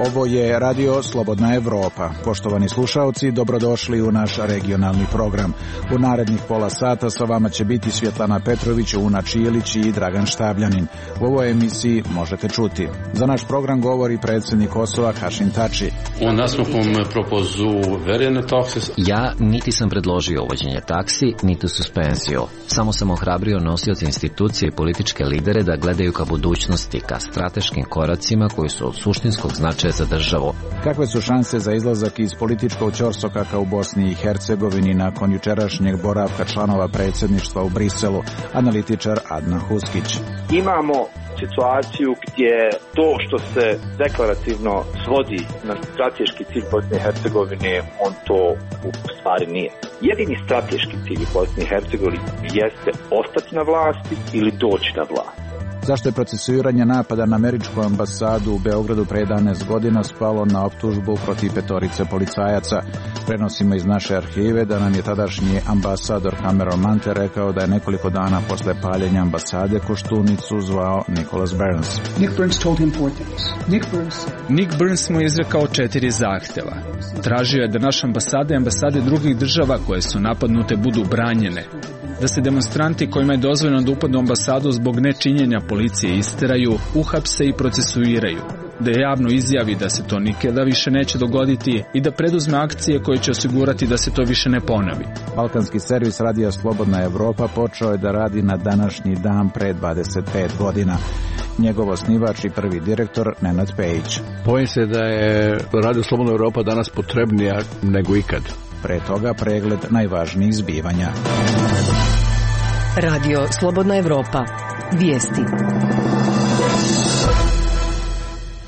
Ovo je Radio Slobodna Evropa. Poštovani slušaoci, dobrodošli u naš regionalni program. U narednih pola sata sa vama će biti Svjetlana Petrović, Una Čijelić i Dragan Štabljanin. U ovoj emisiji možete čuti. Za naš program govori predsjednik Kosova Hašim Tači. Ja niti sam predložio uvođenje taksi, niti suspenziju. Samo sam ohrabrio nosioce institucije i političke lidere da gledaju ka budućnosti, ka strateškim koracima koji su od suštinskog značaja za državu. Kakve su šanse za izlazak iz političkog ćorsokaka u Bosni i Hercegovini nakon jučerašnjeg boravka članova predsjedništva u Briselu, analitičar Adnan Huskić. Imamo situaciju gdje to što se deklarativno svodi na strateški cilj Bosne i Hercegovine, on to u stvari nije. Jedini strateški cilj Bosne i Hercegovine jeste ostati na vlasti ili doći na vlast. Zašto je procesuiranje napada na američku ambasadu u Beogradu pre 11 godina spalo na optužbu protiv 5 policajaca? Prenosimo iz naše arhive da nam je tadašnji ambasador Cameron Mante rekao da je nekoliko dana posle paljenja ambasade Koštunicu zvao Nicholas Burns. Nick Burns mu je izrekao 4 zahteva. Tražio je da naše ambasade i ambasade drugih država koje su napadnute budu branjene, da se demonstranti kojima je dozvoljeno da upadnu u ambasadu zbog nečinjenja policije isteraju, uhapse i procesuiraju, da je javno izjavi da se to nikada više neće dogoditi i da preduzme akcije koje će osigurati da se to više ne ponovi. Balkanski servis Radija Slobodna Evropa počeo je da radi na današnji dan pre 25 godina. Njegov osnivač i prvi direktor Nenad Pejić. Bojim se da je Radio Slobodna Evropa danas potrebnija nego ikad. Pre toga pregled najvažnijih zbivanja. Radio Slobodna Evropa. Vijesti.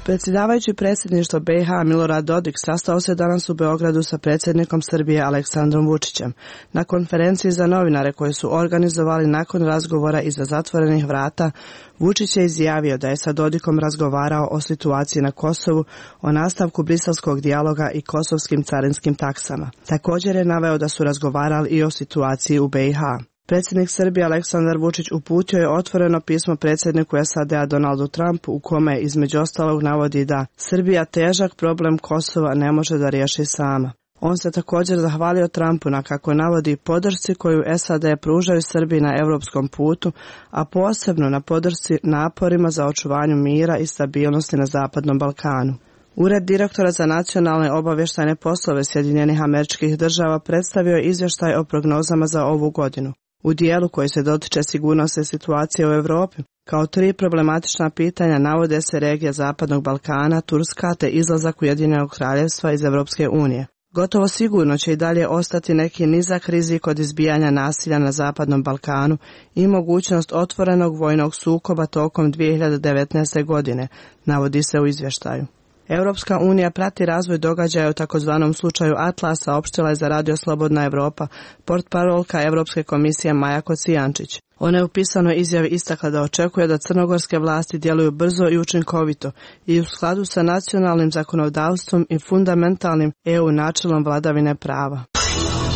Predsjedavajući predsjedništvo BiH Milorad Dodik sastao se danas u Beogradu sa predsjednikom Srbije Aleksandrom Vučićem. Na konferenciji za novinare koje su organizovali nakon razgovora iza zatvorenih vrata, Vučić je izjavio da je sa Dodikom razgovarao o situaciji na Kosovu, o nastavku briselskog dijaloga i kosovskim carinskim taksama. Također je naveo da su razgovarali i o situaciji u BiH. Predsjednik Srbije Aleksandar Vučić uputio je otvoreno pismo predsjedniku SAD-a Donaldu Trumpu u kome između ostalog navodi da Srbija težak problem Kosova ne može da riješi sama. On se također zahvalio Trumpu na, kako navodi, podršci koju SAD pružaju Srbiji na europskom putu, a posebno na podršci naporima za očuvanju mira i stabilnosti na Zapadnom Balkanu. Ured direktora za nacionalne obavještajne poslove Sjedinjenih Američkih Država predstavio je izvještaj o prognozama za ovu godinu. U dijelu koji se dotiče sigurnosne situacije u Europi, kao 3 problematična pitanja navode se regija Zapadnog Balkana, Turska te izlazak Ujedinjenog Kraljevstva iz Europske unije. Gotovo sigurno će i dalje ostati neki nizak rizik od izbijanja nasilja na Zapadnom Balkanu i mogućnost otvorenog vojnog sukoba tokom 2019. godine, navodi se u izvještaju. Europska unija prati razvoj događaja u takozvanom slučaju Atlas, saopštila je za Radio Slobodna Evropa portparolka Europske komisije Maja Kocijančić. Ona je u pisanoj izjavi istakla da očekuje da crnogorske vlasti djeluju brzo i učinkovito i u skladu sa nacionalnim zakonodavstvom i fundamentalnim EU načelom vladavine prava.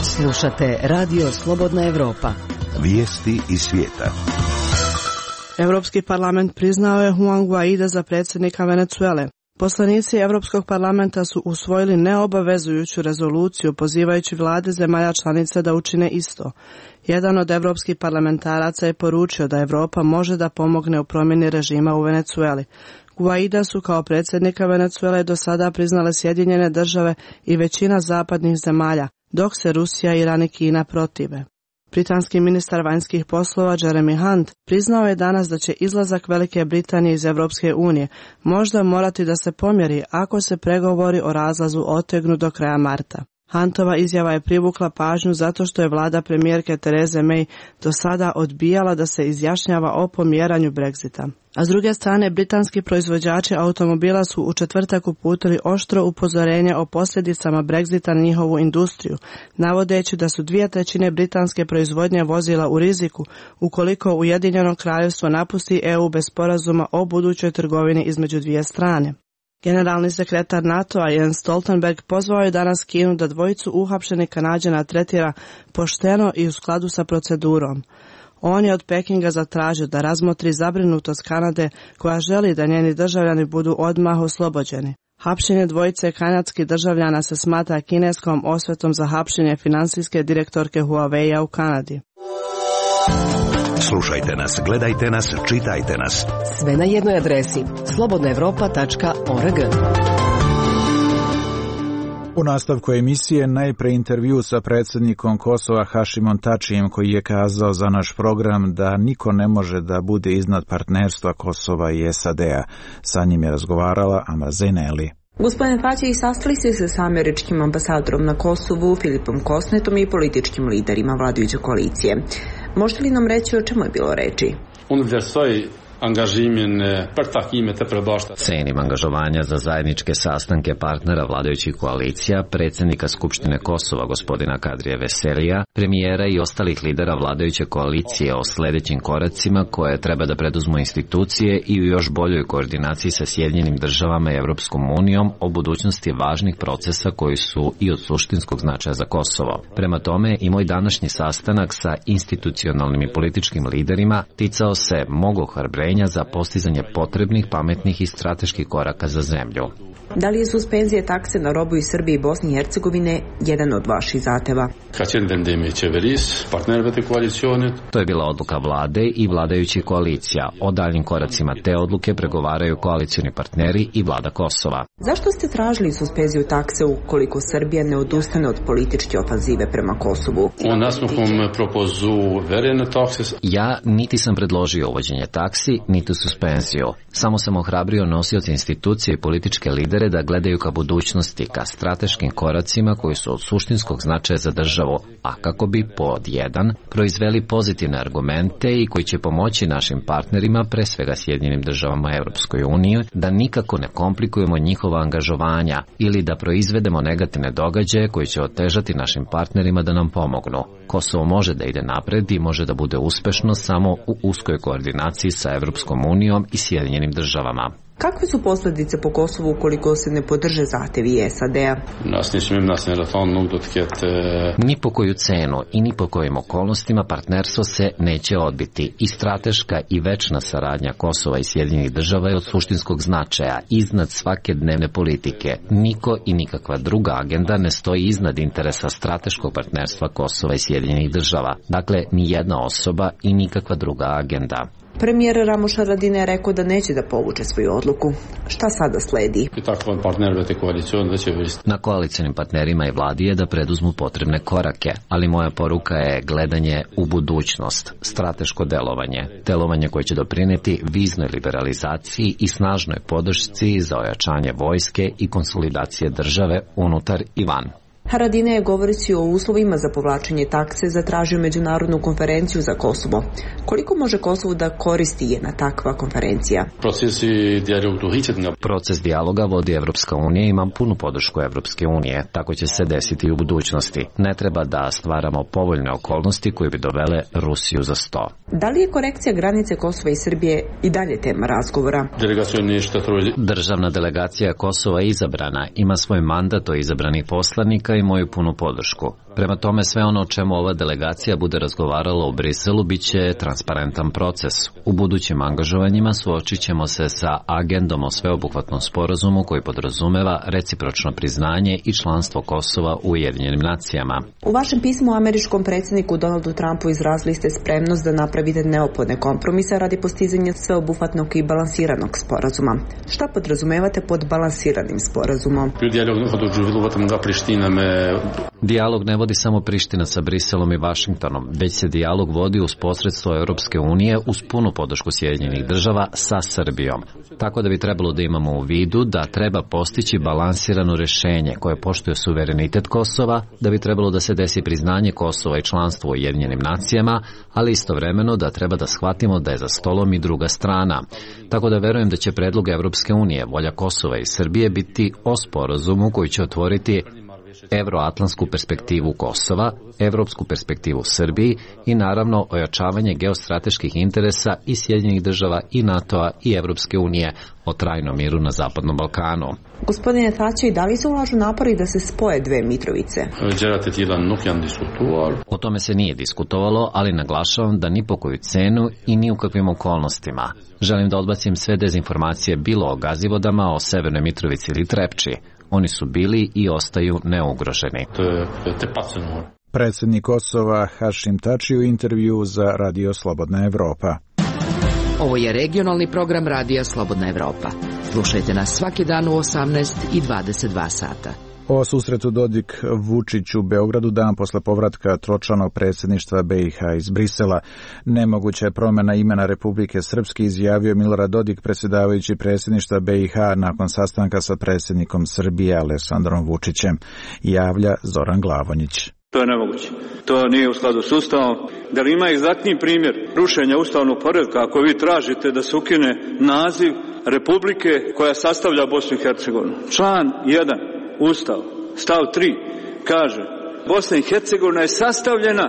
Slušate Radio Slobodna Evropa. Vijesti iz svijeta. Europski parlament priznao je Juan Guaida za predsjednika Venezuele. Poslanici Europskog parlamenta su usvojili neobavezujuću rezoluciju pozivajući vlade zemalja članica da učine isto. Jedan od europskih parlamentaraca je poručio da Europa može da pomogne u promjeni režima u Venezueli. Guaida su kao predsjednika Venezuele do sada priznale Sjedinjene Države i većina zapadnih zemalja, dok se Rusija, Iran i Kina protive. Britanski ministar vanjskih poslova Jeremy Hunt priznao je danas da će izlazak Velike Britanije iz Europske unije možda morati da se pomjeri ako se pregovori o razlazu otegnu do kraja marta. Huntova izjava je privukla pažnju zato što je vlada premijerke Therese May do sada odbijala da se izjašnjava o pomjeranju Brexita. A s druge strane, britanski proizvođači automobila su u četvrtak uputili oštro upozorenje o posljedicama Brexita na njihovu industriju, navodeći da su 2/3 britanske proizvodnje vozila u riziku ukoliko Ujedinjeno Kraljevstvo napusti EU bez sporazuma o budućoj trgovini između dvije strane. Generalni sekretar NATO-a Jens Stoltenberg pozvao je danas Kinu da dvojicu uhapšenih Kanađana tretira pošteno i u skladu sa procedurom. On je od Pekinga zatražio da razmotri zabrinutost Kanade koja želi da njeni državljani budu odmah oslobođeni. Hapšenje dvojice kanadskih državljana se smatra kineskom osvetom za hapšenje finansijske direktorke Huawei-a u Kanadi. Slušajte nas, gledajte nas, čitajte nas. Sve na jednoj adresi slobodnaevropa.org. U nastavku emisije najpre intervju sa predsjednikom Kosova Hašimom Tačijem, koji je kazao za naš program da niko ne može da bude iznad partnerstva Kosova i SAD-a. Sa njim je razgovarala Amra Zeneli. Gospodine Tačić, sastali ste se sa američkim ambasadorom na Kosovu, Filipom Kosnetom i političkim liderima vladajuće koalicije. Možete li nam reći o čemu je bilo reči? Cenim angažovanja za zajedničke sastanke partnera vladajućih koalicija, predsjednika Skupštine Kosova gospodina Kadrija Veselija, premijera i ostalih lidera vladajuće koalicije o sljedećim koracima koje treba da preduzmu institucije i u još boljoj koordinaciji sa Sjedinjenim državama i Evropskom unijom o budućnosti važnih procesa koji su i od suštinskog značaja za Kosovo. Prema tome i moj današnji sastanak sa institucionalnim i političkim liderima ticao se mog ohrabrenja za postizanje potrebnih, pametnih i strateških koraka za zemlju. Da li je suspenzija takse na robu iz Srbije i Bosne i Hercegovine jedan od vaših zahteva? To je bila odluka vlade i vladajućih koalicija. O daljnim koracima te odluke pregovaraju koalicioni partneri i vlada Kosova. Zašto ste tražili suspenziju takse ukoliko Srbija ne odustane od političke ofanzive prema Kosovu? Ja niti sam predložio uvođenje taksi, niti suspenziju. Samo sam ohrabrio nosioce institucije i političke lidere da gledaju ka budućnosti, ka strateškim koracima koji su od suštinskog značaja za državu, a kako bi pod jedan proizveli pozitivne argumente i koji će pomoći našim partnerima, pre svega Sjedinjenim državama i Evropskoj uniji, da nikako ne komplikujemo njihova angažovanja ili da proizvedemo negativne događaje koji će otežati našim partnerima da nam pomognu. Kosovo može da ide napred i može da bude uspešno samo u uskoj koordinaciji sa Evropskom unijom i Sjedinjenim državama. Kakve su posljedice po Kosovu ukoliko se ne podrže zahtevi SAD-a? Ni po koju cenu i ni po kojim okolnostima partnerstvo se neće odbiti. I strateška i večna saradnja Kosova i Sjedinjenih država je od suštinskog značaja, iznad svake dnevne politike. Niko i nikakva druga agenda ne stoji iznad interesa strateškog partnerstva Kosova i Sjedinjenih država. Dakle, ni jedna osoba i nikakva druga agenda. Premijer Ramuš Haradinaj je rekao da neće da povuče svoju odluku. Šta sada sledi? Na koalicionim partnerima i vladi je da preduzmu potrebne korake, ali moja poruka je gledanje u budućnost, strateško delovanje koje će doprineti viznoj liberalizaciji i snažnoj podršci za ojačanje vojske i konsolidacije države unutar i van. Haradinaj je govoreći o uslovima za povlačenje takse zatražio međunarodnu konferenciju za Kosovo. Koliko može Kosovo da koristi jedna takva konferencija? Proces dijaloga vodi Evropska unija i ima punu podršku Evropske unije. Tako će se desiti i u budućnosti. Ne treba da stvaramo povoljne okolnosti koje bi dovele Rusiju za sto. Da li je korekcija granice Kosova i Srbije i dalje tema razgovora? Državna delegacija Kosova je izabrana, ima svoj mandat od izabranih poslanika i moju punu podršku. Prema tome, sve ono o čemu ova delegacija bude razgovarala u Briselu bit će transparentan proces. U budućim angažovanjima suočit ćemo se sa agendom o sveobuhvatnom sporazumu koji podrazumeva recipročno priznanje i članstvo Kosova u Ujedinjenim nacijama. U vašem pismu američkom predsjedniku Donaldu Trumpu izrazili ste spremnost da napravite neophodne kompromise radi postizanja sveobuhvatnog i balansiranog sporazuma. Šta podrazumevate pod balansiranim sporazumom? Dijalog ne vodi samo Priština sa Briselom i Vašingtonom, već se dijalog vodi uz posredstvo Europske unije uz punu podršku Sjedinjenih država sa Srbijom. Tako da bi trebalo da imamo u vidu da treba postići balansirano rješenje koje poštuje suverenitet Kosova, da bi trebalo da se desi priznanje Kosova i članstvo u Ujedinjenim nacijama, ali istovremeno da treba da shvatimo da je za stolom i druga strana. Tako da verujem da će predlog Europske unije, volja Kosova i Srbije biti o sporazumu koji će otvoriti evroatlantsku perspektivu Kosova, evropsku perspektivu Srbiji i naravno ojačavanje geostrateških interesa i Sjedinjenih država i NATO-a i Evropske unije o trajnom miru na Zapadnom Balkanu. Gospodine Thaçi, da li se ulažu napori da se spoje dve Mitrovice? O tome se nije diskutovalo, ali naglašavam da ni po koju cenu i ni u kakvim okolnostima. Želim da odbacim sve dezinformacije bilo o Gazivodama, o Severnoj Mitrovici ili Trepči. Oni su bili i ostaju neugroženi. Predsjednik Kosova Hašim Tači u intervju za Radio Slobodna Evropa. Ovo je regionalni program Radija Slobodna Evropa. Slušajte nas svaki dan u 18 i 22 sata. O susretu Dodik-Vučić u Beogradu dan posle povratka tročlanog predsjedništva BiH iz Brisela. Nemoguća je promjena imena Republike Srpske, izjavio Milorad Dodik, predsjedavajući predsjedništva BiH nakon sastanka sa predsjednikom Srbije Aleksandrom Vučićem. Javlja Zoran Glavonjić. To je nemoguće. To nije u skladu s Ustavom. Da li ima egzaktni primjer rušenja ustavnog poretka ako vi tražite da se ukine naziv Republike koja sastavlja Bosnu i Hercegovinu? Član 1 Ustav, stav 3 kaže: Bosna i Hercegovina je sastavljena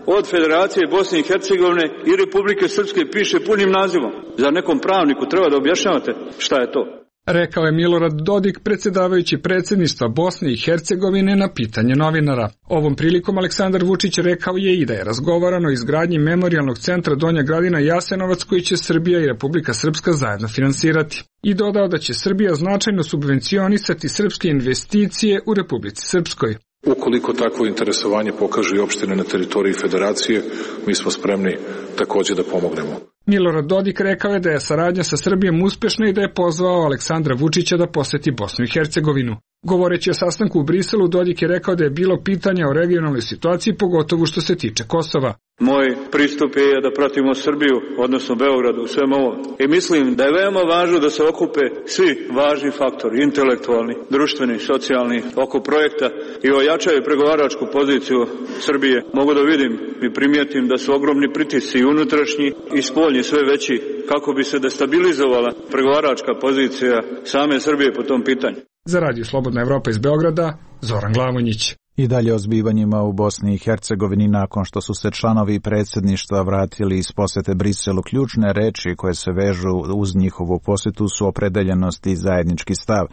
od Federacije Bosne i Hercegovine i Republike Srpske, piše punim nazivom. Za nekom pravniku treba da objašnjavate šta je to? Rekao je Milorad Dodik, predsjedavajući predsjedništva Bosne i Hercegovine, na pitanje novinara. Ovom prilikom Aleksandar Vučić rekao je i da je razgovarano o izgradnji memorijalnog centra Donja Gradina Jasenovac koji će Srbija i Republika Srpska zajedno finansirati. I dodao da će Srbija značajno subvencionisati srpske investicije u Republici Srpskoj. Ukoliko takvo interesovanje pokažu i opštine na teritoriji Federacije, mi smo spremni također da pomognemo. Milorad Dodik rekao je da je saradnja sa Srbijom uspešna i da je pozvao Aleksandra Vučića da poseti Bosnu i Hercegovinu. Govoreći o sastanku u Briselu, Dodik je rekao da je bilo pitanja o regionalnoj situaciji, pogotovo što se tiče Kosova. Moj pristup je da pratimo Srbiju, odnosno Beograd u svemu ovom. I mislim da je veoma važno da se okupe svi važni faktori, intelektualni, društveni, socijalni, oko projekta i ojačaju pregovaračku poziciju Srbije. Mogu da vidim i primijetim da su ogromni pritisci i unutrašnji i spoljni sve veći kako bi se destabilizovala pregovaračka pozicija same Srbije po tom pitanju. Za Radio Slobodna Evropa iz Beograda, Zoran Glavonjić. I dalje o zbivanjima u Bosni i Hercegovini nakon što su se članovi predsjedništva vratili iz posjete Briselu. Ključne reči koje se vežu uz njihovu posjetu su opredeljenost i zajednički stav.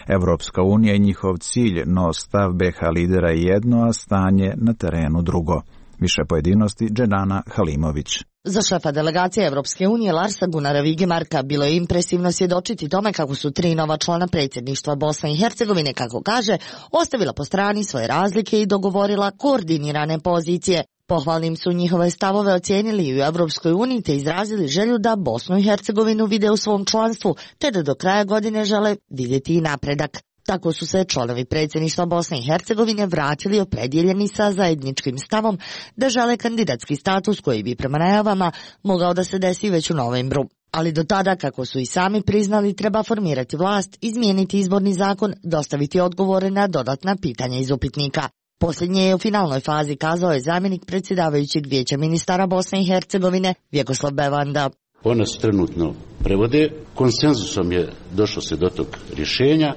Evropska unija i njihov cilj, no stav BiH lidera je jedno, a stanje na terenu drugo. Više pojedinosti Dženana Halimović. Za šefa delegacije Evropske unije Larsa Gunara Vigemarka bilo je impresivno svjedočiti tome kako su 3 nova člana predsjedništva Bosne i Hercegovine, kako kaže, ostavila po strani svoje razlike i dogovorila koordinirane pozicije. Pohvalnim su njihove stavove ocijenili i u Evropskoj uniji te izrazili želju da Bosnu i Hercegovinu vide u svom članstvu, te da do kraja godine žele vidjeti i napredak. Tako su se članovi predsjedništva Bosne i Hercegovine vratili opredjeljeni sa zajedničkim stavom da žele kandidatski status koji bi prema najavama mogao da se desi već u novembru. Ali do tada, kako su i sami priznali, treba formirati vlast, izmijeniti izborni zakon, dostaviti odgovore na dodatna pitanja iz upitnika. Posljednje je u finalnoj fazi, kazao je zamjenik predsjedavajućeg vijeća ministara Bosne i Hercegovine Vjekoslav Bevanda. Ona se trenutno prevode, konsenzusom je došlo se do tog rješenja.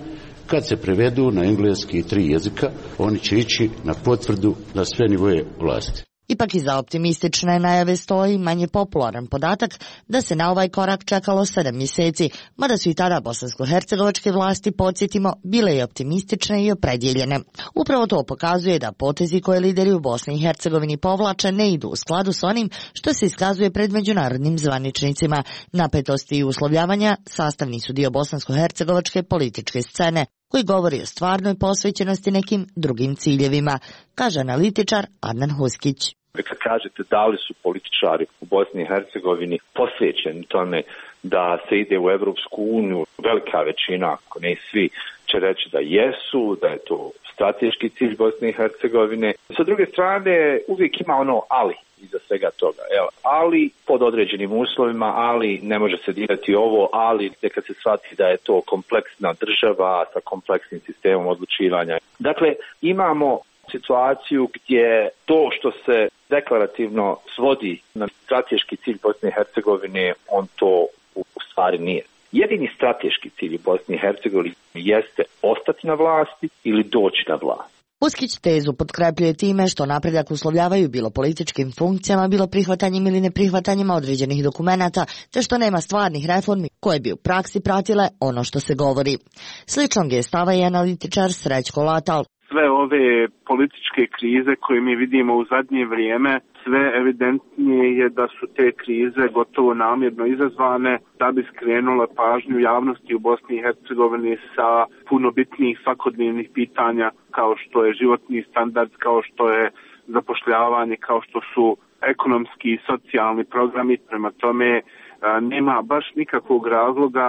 Kad se prevedu na engleski 3 jezika, oni će ići na potvrdu na sve nivoje vlasti. Ipak iza optimistične najave stoji manje popularan podatak da se na ovaj korak čekalo 7 mjeseci, mada su i tada bosansko-hercegovačke vlasti, podsjetimo, bile i optimistične i opredjeljene. Upravo to pokazuje da potezi koje lideri u Bosni i Hercegovini povlače ne idu u skladu s onim što se iskazuje pred međunarodnim zvaničnicima. Napetosti i uslovljavanja sastavni su dio bosansko-hercegovačke političke scene, koji govori o stvarnoj posvećenosti nekim drugim ciljevima, kaže analitičar Adnan Huskić. Kad kažete da li su političari u Bosni i Hercegovini posvećeni tome da se ide u Evropsku uniju, velika većina, ako ne svi, će reći da jesu, da je to strateški cilj Bosne i Hercegovine. Sa druge strane, uvijek ima ono ali iza svega toga. Ali pod određenim uslovima, ali ne može se dirati ovo, ali kad se shvati da je to kompleksna država sa kompleksnim sistemom odlučivanja. Dakle, imamo situaciju gdje to što se deklarativno svodi na strateški cilj Bosne i Hercegovine, on to u stvari nije. Jedini strateški cilj u Bosni i Hercegovini jeste ostati na vlasti ili doći na vlast. Uskić tezu potkrepljuje time što napredak uslovljavaju bilo političkim funkcijama, bilo prihvatanjem ili neprihvatanjima određenih dokumenata, te što nema stvarnih reformi koje bi u praksi pratile ono što se govori. Sličnog je stava i analitičar Srećko Latal. Sve ove političke krize koje mi vidimo u zadnje vrijeme, sve evidentnije je da su te krize gotovo namjerno izazvane da bi skrenule pažnju javnosti u Bosni i Hercegovini sa puno bitnijih svakodnevnih pitanja kao što je životni standard, kao što je zapošljavanje, kao što su ekonomski i socijalni programi. Prema tome nema baš nikakvog razloga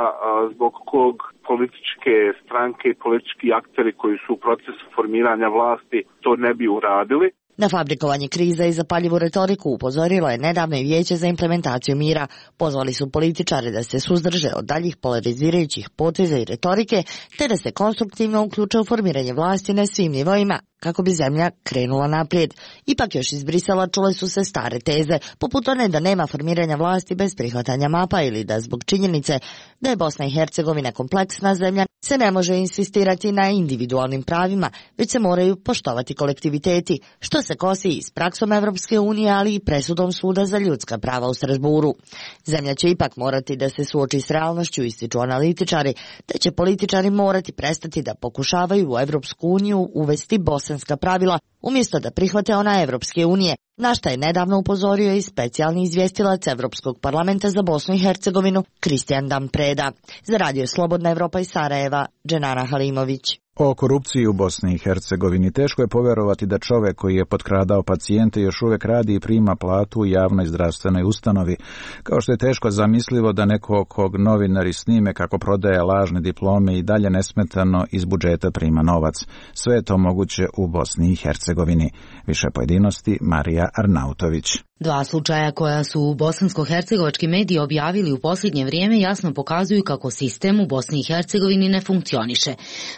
zbog kog političke stranke i politički akteri koji su u procesu formiranja vlasti to ne bi uradili. Na fabrikovanje kriza i zapaljivu retoriku upozorilo je nedavno i Vijeće za implementaciju mira. Pozvali su političare da se suzdrže od daljih polarizirajućih poteza i retorike, te da se konstruktivno uključe u formiranje vlasti na svim nivoima, kako bi zemlja krenula naprijed. Ipak još iz Brisela čule su se stare teze, poput one da nema formiranja vlasti bez prihvatanja mapa ili da zbog činjenice da je Bosna i Hercegovina kompleksna zemlja se ne može insistirati na individualnim pravima, već se moraju poštovati kolektiviteti, što se kosi i s praksom Evropske unije, ali i presudom Suda za ljudska prava u Strasburu. Zemlja će ipak morati da se suoči s realnošću, ističu analitičari, te će političari morati prestati da pokušavaju u Evropsku uniju uvesti bosanska pravila, umjesto da prihvate ona Evropske unije, na šta je nedavno upozorio i specijalni izvjestilac Evropskog parlamenta za Bosnu i Hercegovinu Kristijan Dampreda. Za Radio Slobodna Evropa iz Sarajeva, Dženana Halimović. O korupciji u Bosni i Hercegovini teško je povjerovati da čovjek koji je potkradao pacijente još uvijek radi i prima platu u javnoj zdravstvenoj ustanovi, kao što je teško zamislivo da neko kog novinari snime kako prodaje lažne diplome i dalje nesmetano iz budžeta prima novac. Sve je to moguće u Bosni i Hercegovini. Više pojedinosti Marija Arnautović. Dva slučaja koja su bosansko-hercegovački mediji objavili u posljednje vrijeme jasno pokazuju kako sistem u Bosni i Hercegovini ne funkcioniše.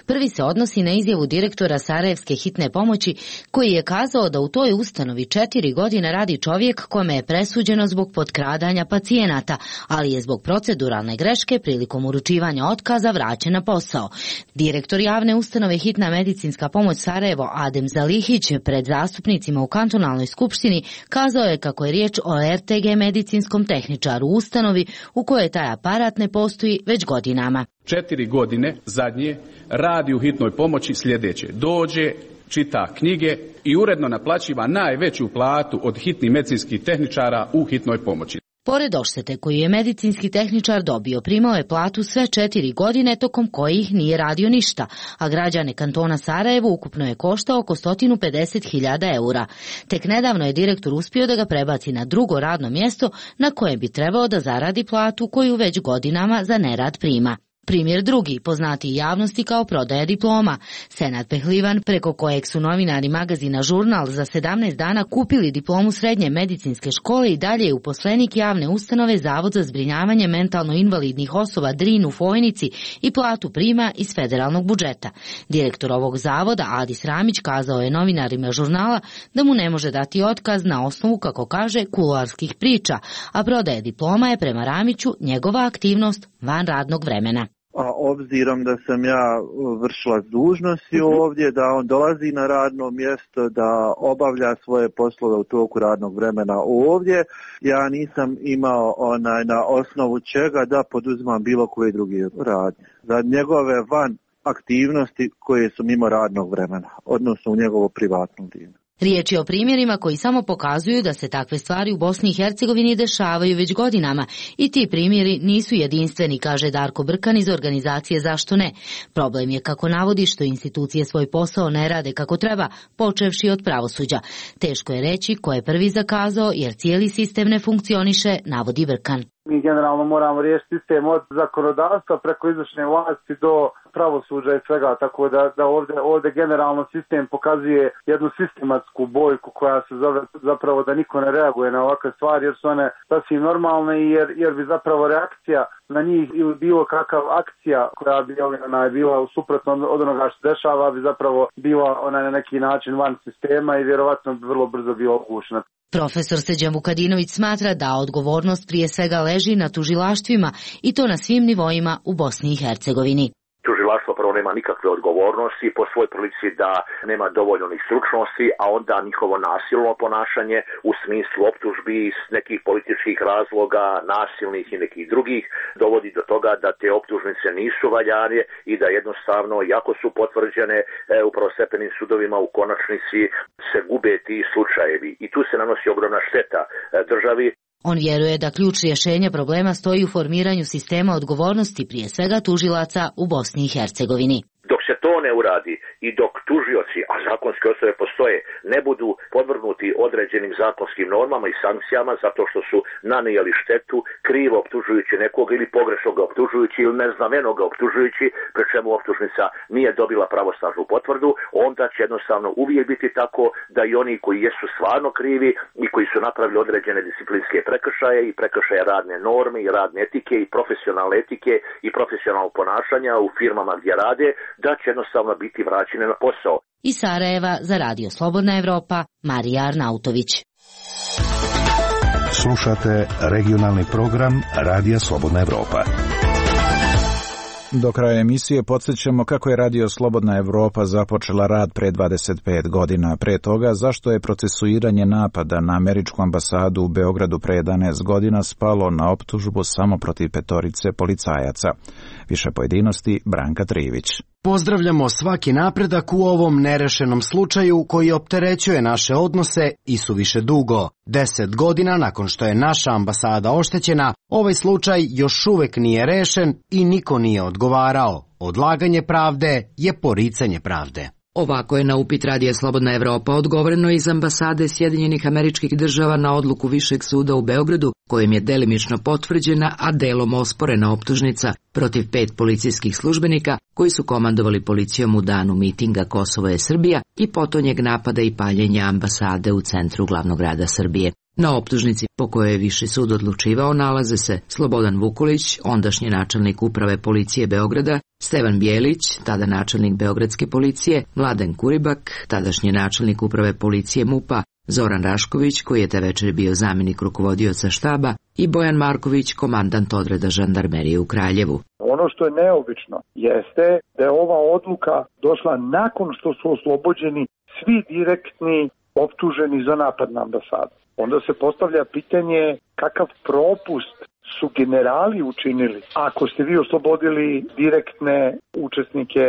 Prvi se odnosi na izjavu direktora Sarajevske hitne pomoći koji je kazao da u toj ustanovi 4 godine radi čovjek kome je presuđeno zbog potkradanja pacijenata, ali je zbog proceduralne greške prilikom uručivanja otkaza vraćen na posao. Direktor javne ustanove Hitna medicinska pomoć Sarajevo Adem Zalihić pred zastupnicima u kantonalnoj skupštini kazao je kako je riječ o RTG medicinskom tehničaru u ustanovi u kojoj taj aparat ne postoji već godinama. 4 godine zadnje radi u hitnoj pomoći sljedeće. Dođe, čita knjige i uredno naplaćiva najveću platu od hitnih medicinskih tehničara u hitnoj pomoći. Pored odštete koju je medicinski tehničar dobio, primao je platu sve 4 godine tokom kojih nije radio ništa, a građane kantona Sarajevo ukupno je koštao oko 150.000 eura. Tek nedavno je direktor uspio da ga prebaci na drugo radno mjesto na kojem bi trebao da zaradi platu koju već godinama za nerad prima. Primjer drugi, poznati javnosti kao prodaja diploma. Senad Pehlivan, preko kojeg su novinari magazina Žurnal za 17 dana kupili diplomu srednje medicinske škole i dalje je uposlenik javne ustanove Zavod za zbrinjavanje mentalno invalidnih osoba Drin u Fojnici i platu prima iz federalnog budžeta. Direktor ovog zavoda, Adis Ramić, kazao je novinarima Žurnala da mu ne može dati otkaz na osnovu, kako kaže, kuloarskih priča, a prodaja diploma je prema Ramiću njegova aktivnost van radnog vremena. A obzirom da sam ja vršila dužnosti ovdje, da on dolazi na radno mjesto, da obavlja svoje poslove u toku radnog vremena ovdje, ja nisam imao na osnovu čega da poduzimam bilo koje drugi radnje. Za njegove van aktivnosti koje su mimo radnog vremena, odnosno u njegovo privatno vrijeme. Riječ je o primjerima koji samo pokazuju da se takve stvari u Bosni i Hercegovini dešavaju već godinama i ti primjeri nisu jedinstveni, kaže Darko Brkan iz organizacije Zašto ne. Problem je, kako navodi, što institucije svoj posao ne rade kako treba, počevši od pravosuđa. Teško je reći ko je prvi zakazao jer cijeli sistem ne funkcioniše, navodi Brkan. Mi generalno moramo riješiti sistem od zakonodavstva preko izvršne vlasti do pravosuđa i svega, tako da ovdje generalno sistem pokazuje jednu sistematsku bojku koja se zove zapravo da niko ne reaguje na ovakve stvari jer su one sasvim normalne i jer bi zapravo reakcija na njih ili bilo kakav akcija koja bi bila suprotno od onoga što dešava bi zapravo bila na neki način van sistema i vjerovatno bi vrlo brzo bila ugušena. Profesor Srđan Vukadinović smatra da odgovornost prije svega leži na tužilaštvima i to na svim nivoima u Bosni i Hercegovini. tužilaštvo prvo nema nikakve odgovornosti, po svoj prilici da nema dovoljno ni stručnosti, a onda njihovo nasilno ponašanje u smislu optužbi iz nekih političkih razloga, nasilnih i nekih drugih, dovodi do toga da te optužnice nisu valjane i da jednostavno, iako su potvrđene u prvostepenim sudovima, u konačnici se gube ti slučajevi. I tu se nanosi ogromna šteta državi. On vjeruje da ključ rješenja problema stoji u formiranju sistema odgovornosti, prije svega tužilaca u Bosni i Hercegovini. Dok se to ne uradi i dok tužioci, a zakonske osnove postoje, ne budu podvrgnuti određenim zakonskim normama i sankcijama zato što su nanijeli štetu krivo optužujući nekog ili pogrešno ga optužujući ili neznameno ga optužujući, pri čemu optužnica nije dobila pravosnažnu potvrdu, onda će jednostavno uvijek biti tako da i oni koji jesu stvarno krivi i koji su napravili određene disciplinske prekršaje i prekršaje radne norme i radne etike i profesionalne etike i profesionalnog ponašanja u firmama gdje rade, da će jednostavno biti vraćene na posao. Iz Sarajeva za Radio Slobodna Evropa, Marija Arnautović. Slušate regionalni program Radija Slobodna Evropa. Do kraja emisije podsjećamo kako je Radio Slobodna Evropa započela rad pre 25 godina. Pre toga, zašto je procesuiranje napada na američku ambasadu u Beogradu pre 11 godina spalo na optužbu samo protiv 5 policajaca. Više pojedinosti, Branka Trivić. Pozdravljamo svaki napredak u ovom nerešenom slučaju koji opterećuje naše odnose i suviše dugo. 10 godina nakon što je naša ambasada oštećena, ovaj slučaj još uvek nije rešen i niko nije odgovarao. Odlaganje pravde je poricanje pravde. Ovako je na upit Radija Slobodna Evropa odgovoreno iz ambasade Sjedinjenih Američkih Država na odluku Višeg suda u Beogradu, kojim je delimično potvrđena, a delom osporena optužnica protiv 5 policijskih službenika koji su komandovali policijom u danu mitinga Kosovo je Srbija i potonjeg napada i paljenja ambasade u centru glavnog grada Srbije. Na optužnici po kojoj je Viši sud odlučivao nalaze se Slobodan Vukulić, ondašnji načelnik uprave policije Beograda, Stevan Bjelić, tada načelnik Beogradske policije, Mladen Kuribak, tadašnji načelnik uprave policije MUP-a, Zoran Rašković, koji je te večer bio zamjenik rukovodioca štaba, i Bojan Marković, komandant odreda žandarmerije u Kraljevu. Ono što je neobično jeste da je ova odluka došla nakon što su oslobođeni svi direktni optuženi za napad na ambasadu. Onda se postavlja pitanje kakav propust su generali učinili ako ste vi oslobodili direktne učesnike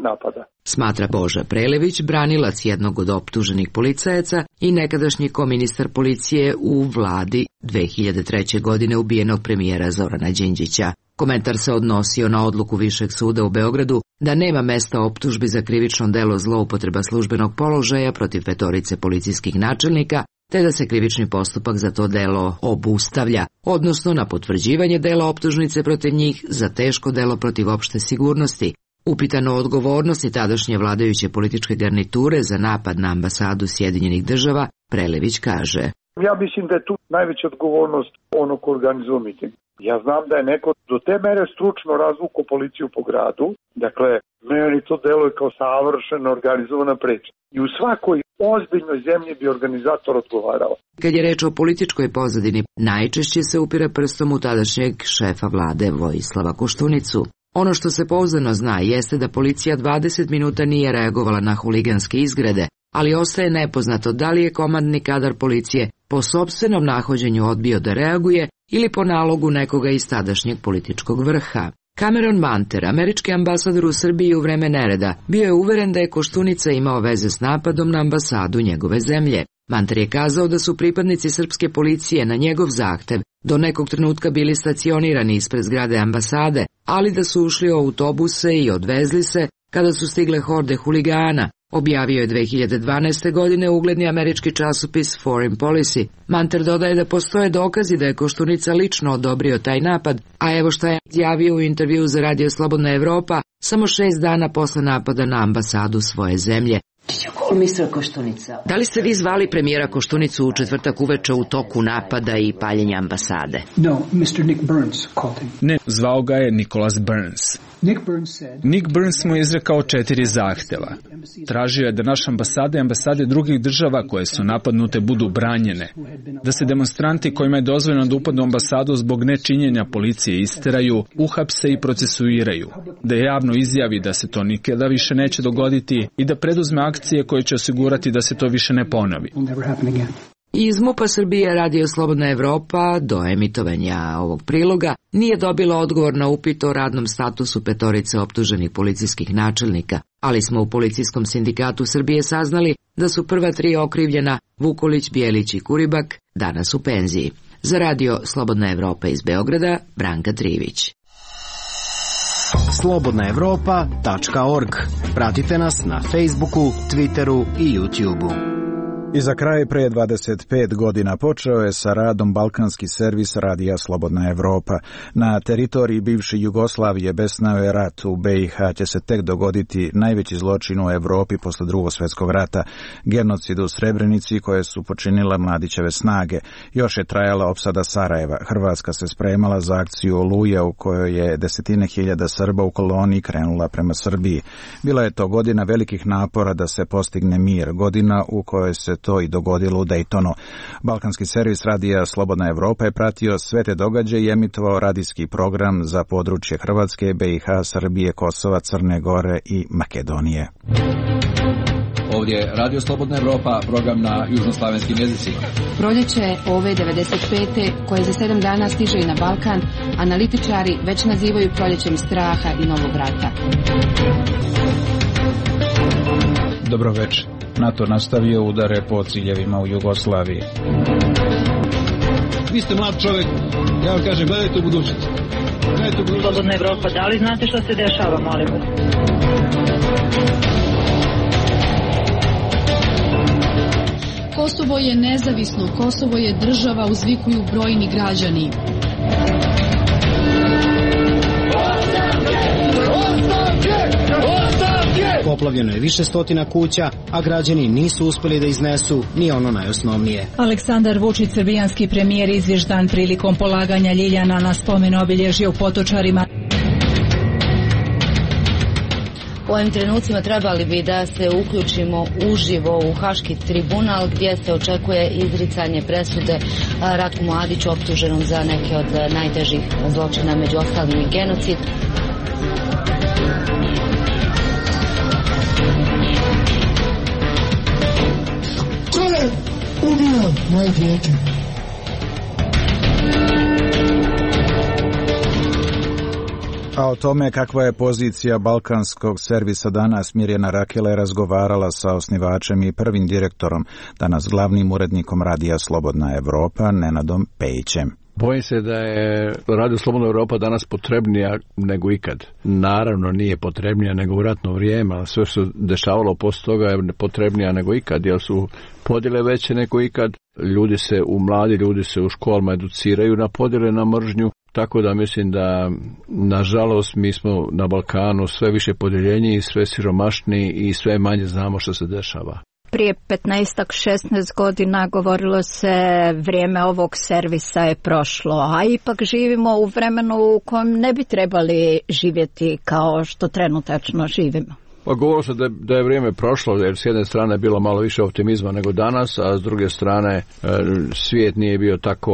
napada. Smatra Boža Prelević, branilac jednog od optuženih policajaca i nekadašnji koministar policije u vladi 2003. godine ubijenog premijera Zorana Đinđića. Komentar se odnosio na odluku Višeg suda u Beogradu da nema mesta optužbi za krivično delo zloupotreba službenog položaja protiv 5 policijskih načelnika, te da se krivični postupak za to delo obustavlja, odnosno na potvrđivanje dela optužnice protiv njih za teško delo protiv opšte sigurnosti. Upitano o odgovornosti tadašnje vladajuće političke garniture za napad na ambasadu Sjedinjenih Država, Prelević kaže: Ja mislim da je tu najveća odgovornost onog ko organizuje miting. Ja znam da je neko do te mere stručno razvukao policiju po gradu, dakle, meni to deluje kao savršeno organizovana priča. I u svakoj ozbiljnoj zemlji bi organizator odgovarao. Kad je reč o političkoj pozadini, najčešće se upire prstom u tadašnjeg šefa vlade Vojislava Koštunicu. Ono što se pouzdano zna jeste da policija 20 minuta nije reagovala na huliganske izgrede, ali ostaje nepoznato da li je komandni kadar policije po sopstvenom nahođenju odbio da reaguje ili po nalogu nekoga iz tadašnjeg političkog vrha. Cameron Manter, američki ambasador u Srbiji u vreme nereda, bio je uveren da je Koštunica imao veze s napadom na ambasadu njegove zemlje. Manter je kazao da su pripadnici srpske policije na njegov zahtev do nekog trenutka bili stacionirani ispred zgrade ambasade, ali da su ušli u autobuse i odvezli se kada su stigle horde huligana, objavio je 2012. godine ugledni američki časopis Foreign Policy. Manter dodaje da postoje dokazi da je Koštunica lično odobrio taj napad, a evo šta je izjavio u intervju za Radio Slobodna Evropa samo 6 dana posle napada na ambasadu svoje zemlje. Da li ste vi zvali premijera Koštunicu u četvrtak uveče u toku napada i paljenja ambasade? Ne, zvao ga je Nicholas Burns. Nick Burns mu je izrekao 4 zahteva. Tražio je da naše ambasade i ambasade drugih država koje su napadnute budu branjene, da se demonstranti kojima je dozvoljeno da upadnu u ambasadu zbog nečinjenja policije isteraju, uhapse i procesuiraju, da javno izjavi da se to nikada više neće dogoditi i da preduzme akcije koje će osigurati da se to više ne ponovi. Iz MUP-a Srbije Radio Slobodna Evropa do emitovanja ovog priloga nije dobila odgovor na upit o radnom statusu 5 optuženih policijskih načelnika, ali smo u Policijskom sindikatu Srbije saznali da su prva 3 okrivljena Vukolić, Bjelić i Kuribak danas u penziji. Za Radio Slobodna Evropa iz Beograda, Branka Trivić. slobodnaevropa.org. Pratite nas na Facebooku, Twitteru i YouTubeu. I za kraj, pre 25 godina počeo je sa radom balkanski servis Radija Slobodna Evropa. Na teritoriji bivše Jugoslavije besnao je rat. U BiH će se tek dogoditi najveći zločin u Evropi posle Drugog svjetskog rata, genocid u Srebrenici koje su počinile Mladićeve snage. Još je trajala opsada Sarajeva. Hrvatska se spremala za akciju Oluja u kojoj je desetine hiljada Srba u koloniji krenula prema Srbiji. Bila je to godina velikih napora da se postigne mir, godina u kojoj se to i dogodilo u Daytonu. Balkanski servis Radija Slobodna Evropa je pratio sve te događaje i emitovao radijski program za područje Hrvatske, BiH, Srbije, Kosova, Crne Gore i Makedonije. Ovdje je Radio Slobodna Evropa, program na južnoslavenskim jezicima. Proljeće ove 95. koje za 7 dana stiže i na Balkan, analitičari već nazivaju proljećem straha i novog rata. Dobro večer. NATO nastavio udare po ciljevima u Jugoslaviji. Vi ste mlad čovjek, ja vam kažem, gledajte u budućnost. Slobodna Evropa, da li znate što se dešava, molim vas? Kosovo je nezavisno, Kosovo je država, uzvikuju brojni građani. Poplavljeno je više stotina kuća, a građani nisu uspeli da iznesu ni ono najosnovnije. Aleksandar Vučić, srbijanski premijer, izvještan prilikom polaganja ljiljana na spomen obilježja u Potočarima. U ovim trenucima trebali bi da se uključimo uživo u Haški tribunal gdje se očekuje izricanje presude Ratku Mladiću optuženom za neke od najtežih zločina, među ostalim i genocid. Ko je ubio moje dijete? A o tome kakva je pozicija balkanskog servisa danas Mirjana Rakela je razgovarala sa osnivačem i prvim direktorom, danas glavnim urednikom Radija Slobodna Evropa, Nenadom Pejićem. Bojim se da je Radio Slobodna Evropa danas potrebnija nego ikad. Naravno nije potrebnija nego u ratno vrijeme, ali sve što se dešavalo poslije toga je potrebnija nego ikad, jer su podjele veće nego ikad. Mladi ljudi se u školama educiraju na podjele, na mržnju. Tako da mislim da, nažalost, mi smo na Balkanu sve više podjeljeniji, sve siromašniji i sve manje znamo što se dešava. Prije 15-16 godina govorilo se vrijeme ovog servisa je prošlo, a ipak živimo u vremenu u kojem ne bi trebali živjeti kao što trenutačno živimo. Pa govorilo se da je vrijeme prošlo, jer s jedne strane je bilo malo više optimizma nego danas, a s druge strane svijet nije bio tako,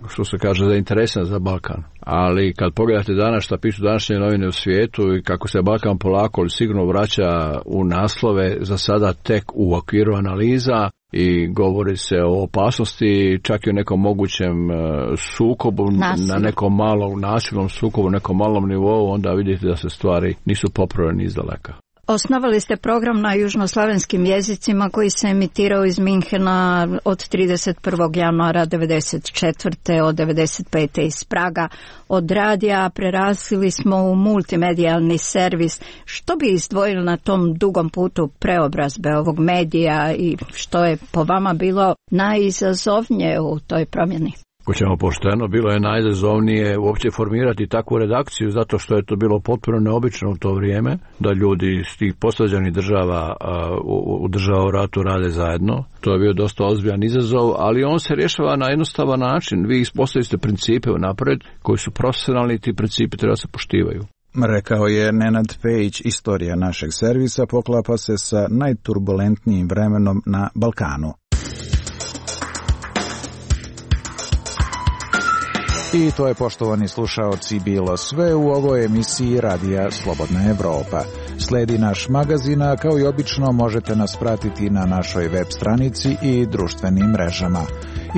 što se kaže, zainteresan za Balkan. Ali kad pogledate danas šta pišu današnje novine u svijetu i kako se Balkan polako ali sigurno vraća u naslove, za sada tek u okviru analiza, i govori se o opasnosti, čak i o nekom mogućem sukobu, na nekom malom nasilnom sukobu, nekom malom nivou, onda vidite da se stvari nisu popravljene izdaleka. Osnovali ste program na južnoslavenskim jezicima koji se emitirao iz Minhena od 31. januara 1994. od 1995. iz Praga. Od radija prerasli smo u multimedijalni servis. Što bi izdvojili na tom dugom putu preobrazbe ovog medija i što je po vama bilo najizazovnije u toj promjeni? Ako ćemo pošteno, bilo je najizazovnije uopće formirati takvu redakciju, zato što je to bilo potpuno neobično u to vrijeme, da ljudi iz tih posvađanih država u država u ratu rade zajedno. To je bio dosta ozbiljan izazov, ali on se rješava na jednostavan način. Vi ispostavite principe unaprijed koji su profesionalni i ti principi treba se poštivaju. Rekao je Nenad Pejić. Istorija našeg servisa poklapa se sa najturbulentnijim vremenom na Balkanu. I to je, poštovani slušaoci, bilo sve u ovoj emisiji Radija Slobodna Evropa. Sledi naš magazin, a kao i obično možete nas pratiti na našoj web stranici i društvenim mrežama.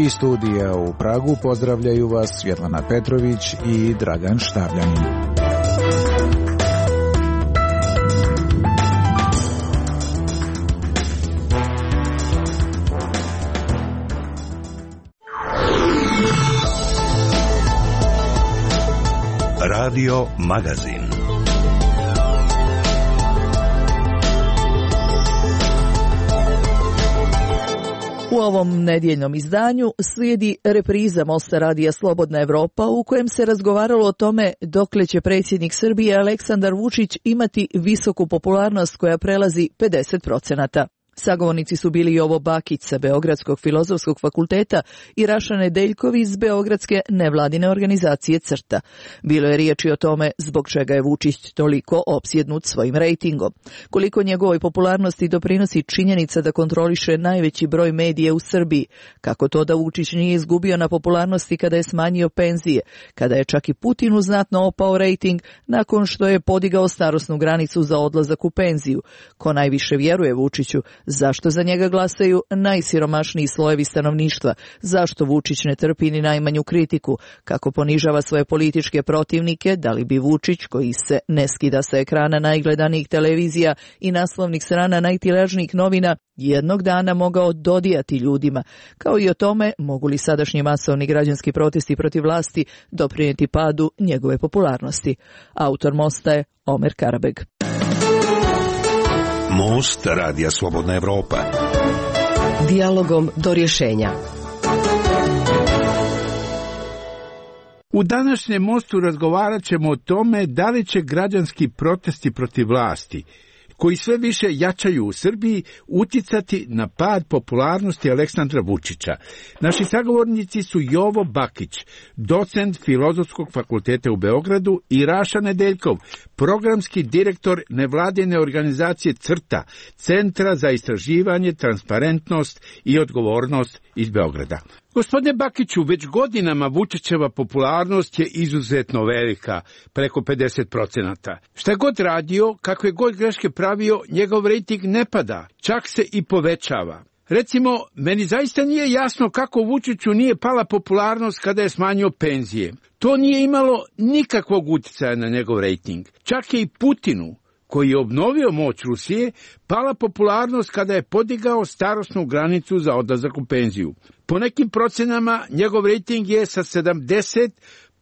Iz studija u Pragu pozdravljaju vas Svjetlana Petrović i Dragan Štavljanin. Radio Magazin. U ovom nedjeljnom izdanju slijedi repriza Mosta Radija Slobodna Evropa u kojem se razgovaralo o tome dokle će predsjednik Srbije Aleksandar Vučić imati visoku popularnost koja prelazi 50%. Sagovornici su bili Jovo Bakić sa Beogradskog filozofskog fakulteta i Raša Nedeljković iz Beogradske nevladine organizacije CRTA. Bilo je riječi o tome zbog čega je Vučić toliko opsjednut svojim rejtingom. Koliko njegovoj popularnosti doprinosi činjenica da kontroliše najveći broj medija u Srbiji. Kako to da Vučić nije izgubio na popularnosti kada je smanjio penzije, kada je čak i Putinu znatno opao rejting nakon što je podigao starosnu granicu za odlazak u penziju. Ko najviše vjeruje Vučiću? Zašto za njega glasaju najsiromašniji slojevi stanovništva? Zašto Vučić ne trpi ni najmanju kritiku? Kako ponižava svoje političke protivnike? Da li bi Vučić, koji se ne skida sa ekrana najgledanijih televizija i naslovnih strana najtiražnijih novina, jednog dana mogao dodijati ljudima? Kao i o tome mogu li sadašnji masovni građanski protesti protiv vlasti doprinijeti padu njegove popularnosti. Autor Mosta je Omer Karabeg. Most Radija Slobodna Evropa. Dijalogom do rješenja. U današnjem Mostu razgovarat ćemo o tome da li će građanski protesti protiv vlasti, koji sve više jačaju u Srbiji, uticati na pad popularnosti Aleksandra Vučića. Naši sagovornici su Jovo Bakić, docent Filozofskog fakulteta u Beogradu, i Raša Nedeljkov, programski direktor nevladine organizacije CRTA, Centra za istraživanje, transparentnost i odgovornost iz Beograda. Gospodine Bakiću, već godinama Vučićeva popularnost je izuzetno velika, preko 50%. Šta god radio, kakve god greške pravio, njegov rejting ne pada, čak se i povećava. Recimo, meni zaista nije jasno kako Vučiću nije pala popularnost kada je smanjio penzije. To nije imalo nikakvog utjecaja na njegov rejting. Čak je i Putinu, koji je obnovio moć Rusije, pala popularnost kada je podigao starosnu granicu za odlazak u penziju. Po nekim procenama njegov rejting je sa 70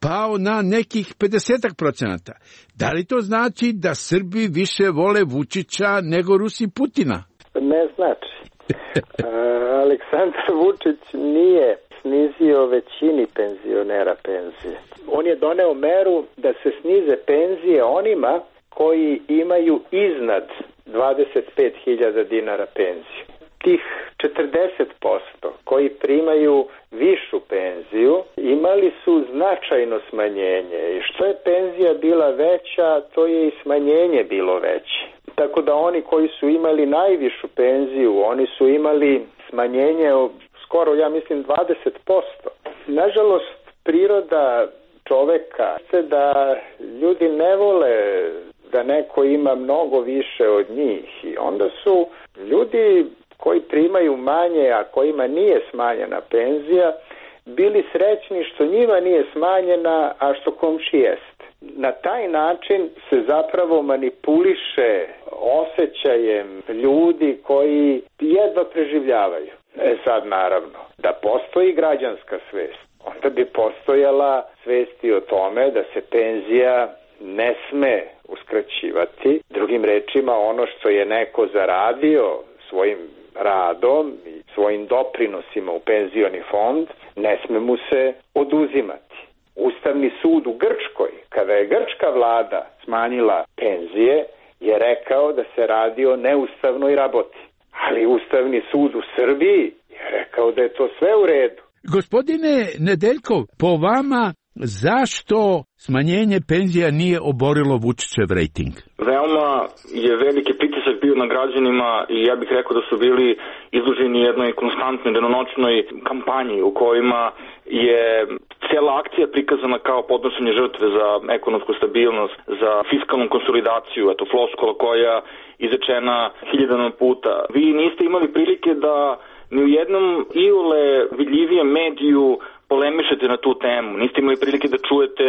pao na nekih 50%. Da li to znači da Srbi više vole Vučića nego Rusi Putina? Ne znači. Aleksandar Vučić nije snizio većini penzionera penzije. On je doneo meru da se snize penzije onima koji imaju iznad 25.000 dinara penziju. Tih 40% koji primaju višu penziju imali su značajno smanjenje i što je penzija bila veća, to je i smanjenje bilo veće. Tako da oni koji su imali najvišu penziju, oni su imali smanjenje skoro, ja mislim, 20%. Nažalost, priroda čoveka je da ljudi ne vole da neko ima mnogo više od njih i onda su ljudi koji primaju manje, a kojima nije smanjena penzija, bili srećni što njima nije smanjena, a što komši jest. Na taj način se zapravo manipuliše osjećajem ljudi koji jedva preživljavaju. Sad naravno, da postoji građanska svest, onda bi postojala svest i o tome da se penzija ne sme uskraćivati. Drugim rečima, ono što je neko zaradio svojim radom i svojim doprinosima u penzioni fond, ne sme mu se oduzimati. Ustavni sud u Grčkoj, kada je grčka vlada smanjila penzije, je rekao da se radi o neustavnoj raboti. Ali Ustavni sud u Srbiji je rekao da je to sve u redu. Gospodine Nedeljkov, po vama zašto smanjenje penzija nije oborilo Vučićev rejting? Veoma je veliki pritisak bio na građanima i ja bih rekao da su bili izloženi jednoj konstantnoj danonoćnoj kampanji u kojima je cijela akcija prikazana kao podnošenje žrtve za ekonomsku stabilnost, za fiskalnu konsolidaciju, eto floskula koja izrečena hiljadama puta. Vi niste imali prilike da ni u jednom iole vidljivijem mediju polemišete na tu temu. Niste imali prilike da čujete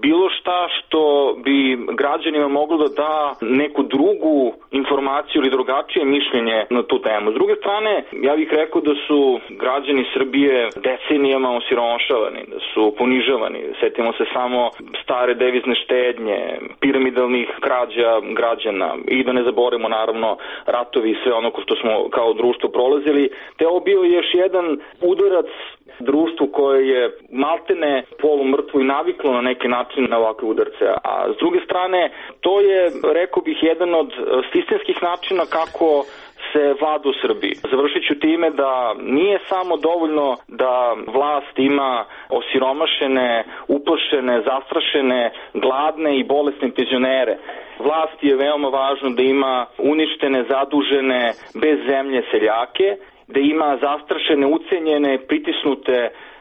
bilo šta što bi građanima moglo da da neku drugu informaciju ili drugačije mišljenje na tu temu. S druge strane, ja bih rekao da su građani Srbije decenijama osiromašavani, da su ponižavani. Setimo se samo stare devizne štednje, piramidalnih krađa građana i da ne zaboravimo naravno ratovi i sve ono što smo kao društvo prolazili. Te ovo bio još jedan udarac društvu koje je maltene polumrtvo i naviklo na neki način na ovakve udarce. A s druge strane, to je, rekao bih, jedan od sistemskih načina kako se vlada u Srbiji. Završit ću time da nije samo dovoljno da vlast ima osiromašene, uplašene, zastrašene, gladne i bolesne penzionere. Vlast je veoma važno da ima uništene, zadužene, bez zemlje seljake, da ima zastrašene, ucenjene, pritisnute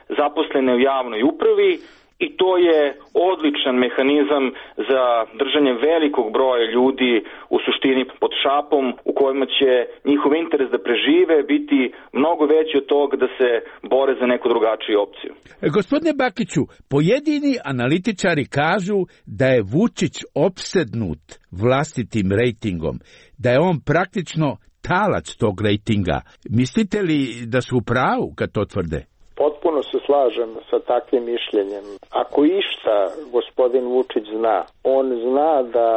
zaposlene u javnoj upravi i to je odličan mehanizam za držanje velikog broja ljudi u suštini pod šapom u kojima će njihov interes da prežive biti mnogo veći od toga da se bore za neku drugačiju opciju. Gospodine Bakiću, pojedini analitičari kažu da je Vučić opsednut vlastitim rejtingom, da je on praktično talac tog rejtinga. Mislite li da su u pravu kad to tvrde? Potpuno se slažem sa takvim mišljenjem. Ako išta gospodin Vučić zna, on zna da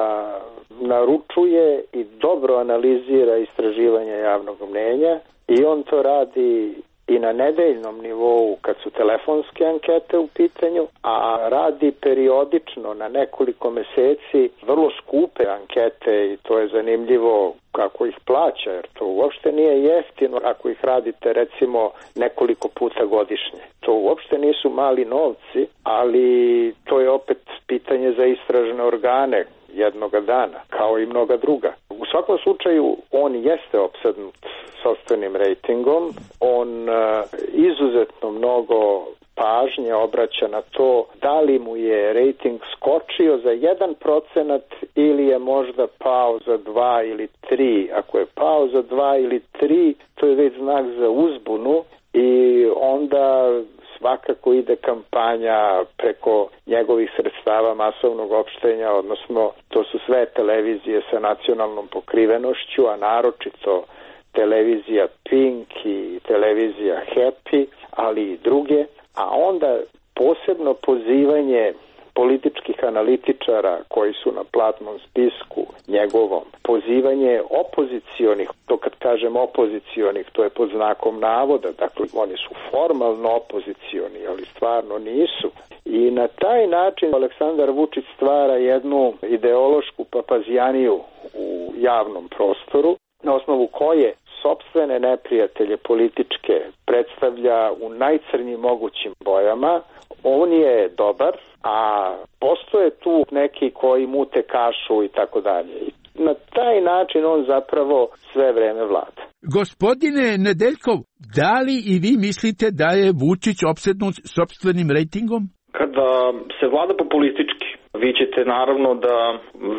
naručuje i dobro analizira istraživanja javnog mnjenja i on to radi i na nedeljnom nivou kad su telefonske ankete u pitanju, a radi periodično na nekoliko meseci vrlo skupe ankete i to je zanimljivo kako ih plaća, jer to uopšte nije jeftino ako ih radite recimo nekoliko puta godišnje. To uopšte nisu mali novci, ali to je opet pitanje za istražne organe jednoga dana, kao i mnoga druga. U svakom slučaju, on jeste opsednut sopstvenim rejtingom, on izuzetno mnogo pažnje obraća na to da li mu je rejting skočio za 1% ili je možda pao za 2 ili 3. Ako je pao za 2 ili 3, to je već znak za uzbunu i onda svakako ide kampanja preko njegovih sredstava masovnog opštenja, odnosno to su sve televizije sa nacionalnom pokrivenošću, a naročito televizija Pink i televizija Happy, ali i druge, a onda posebno pozivanje političkih analitičara koji su na platnom spisku njegovom, pozivanje opozicionih, to kad kažem opozicionih, to je pod znakom navoda, dakle oni su formalno opozicioni, ali stvarno nisu. I na taj način Aleksandar Vučić stvara jednu ideološku papazijaniju u javnom prostoru, na osnovu koje sopstvene neprijatelje političke predstavlja u najcrnjim mogućim bojama. On je dobar, a postoje tu neki koji mute kašu i tako dalje. Na taj način on zapravo sve vreme vlada. Gospodine Nedeljkov, da li i vi mislite da je Vučić opsednut sopstvenim rejtingom? Kada se vlada populistički, vi ćete naravno da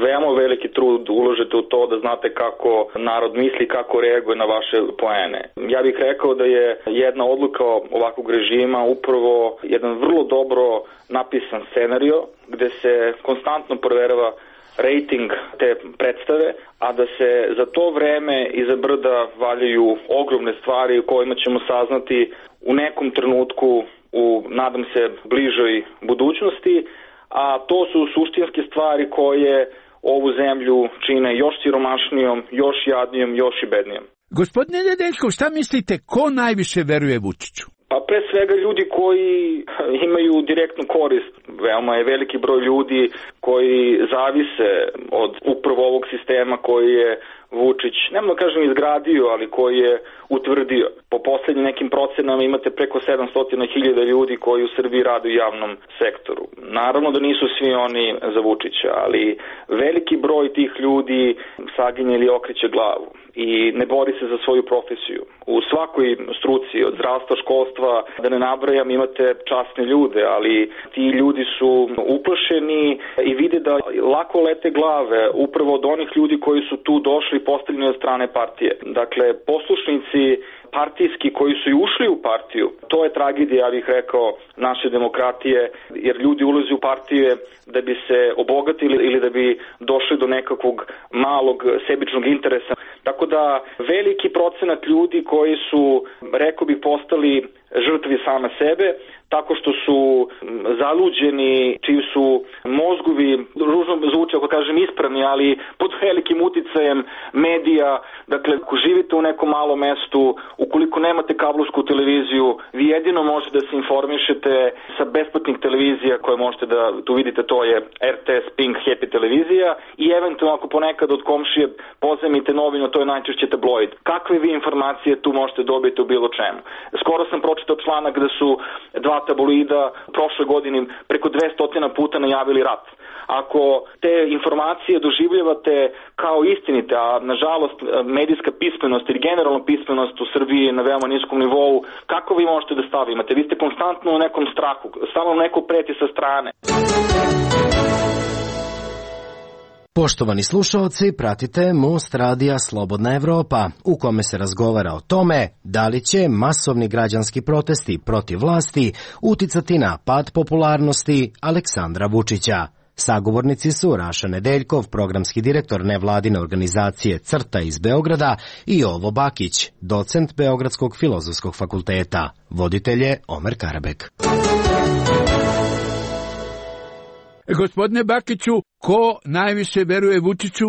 veoma veliki trud uložite u to da znate kako narod misli, kako reaguje na vaše poene. Ja bih rekao da je jedna odluka ovakvog režima upravo jedan vrlo dobro napisan scenario gde se konstantno proverava rejting te predstave, a da se za to vreme iza brda valjaju ogromne stvari u kojima ćemo saznati u nekom trenutku u, nadam se, bližoj budućnosti, a to su suštinske stvari koje ovu zemlju čine još siromašnijom, još jadnijom, još i bednijom. Gospodine Nedeljkov, šta mislite, ko najviše veruje Vučiću? Pa pre svega ljudi koji imaju direktnu korist. Veoma je veliki broj ljudi koji zavise od upravo ovog sistema koji je Vučić, nemoj da kažem izgradio, ali koji je utvrdio. Po poslednjim nekim procenama imate preko 700.000 ljudi koji u Srbiji rade u javnom sektoru. Naravno da nisu svi oni za Vučića, ali veliki broj tih ljudi saginje ili okreće glavu i ne bori se za svoju profesiju. U svakoj struci, od zdravstva, školstva, da ne nabrajam, imate časne ljude, ali ti ljudi su uplašeni i vide da lako lete glave upravo od onih ljudi koji su tu došli postavljeni od strane partije. Dakle, poslušnici partijski koji su i ušli u partiju, to je tragedija, ja bih rekao, naše demokratije, jer ljudi ulaze u partije da bi se obogatili ili da bi došli do nekakvog malog sebičnog interesa. Tako da veliki procenat ljudi koji su, rekao bih, postali žrtvi same sebe, tako što su zaluđeni, čiji su mozgovi, ružno zvuče ako kažem ispravni, ali pod velikim uticajem medija. Dakle, ako živite u nekom malom mestu, ukoliko nemate kablovsku televiziju, vi jedino možete da se informišete sa besplatnih televizija koje možete da tu vidite, to je RTS, Pink, Happy televizija i eventualno ako ponekad od komšije pozajmite novinu, to je najčešće tabloid. Kakve vi informacije tu možete dobiti u bilo čemu? Skoro sam pročitao članak da su dva tabloida prošle godine preko 200 puta najavili rat. Ako te informacije doživljavate kao istinite, a nažalost medijska pismenost ili generalna pismenost u Srbiji je na veoma niskom nivou, kako vi možete da stavimate? Vi ste konstantno u nekom strahu, samo neko preti sa strane. Poštovani slušaoci, pratite Most radija Slobodna Evropa, u kome se razgovara o tome da li će masovni građanski protesti protiv vlasti uticati na pad popularnosti Aleksandra Vučića. Sagovornici su Raša Nedeljkov, programski direktor nevladine organizacije CRTA iz Beograda, i Jovo Bakić, docent Beogradskog filozofskog fakulteta. Voditelj je Omer Karabek. Gospodine Bakiću, ko najviše veruje Vučiću?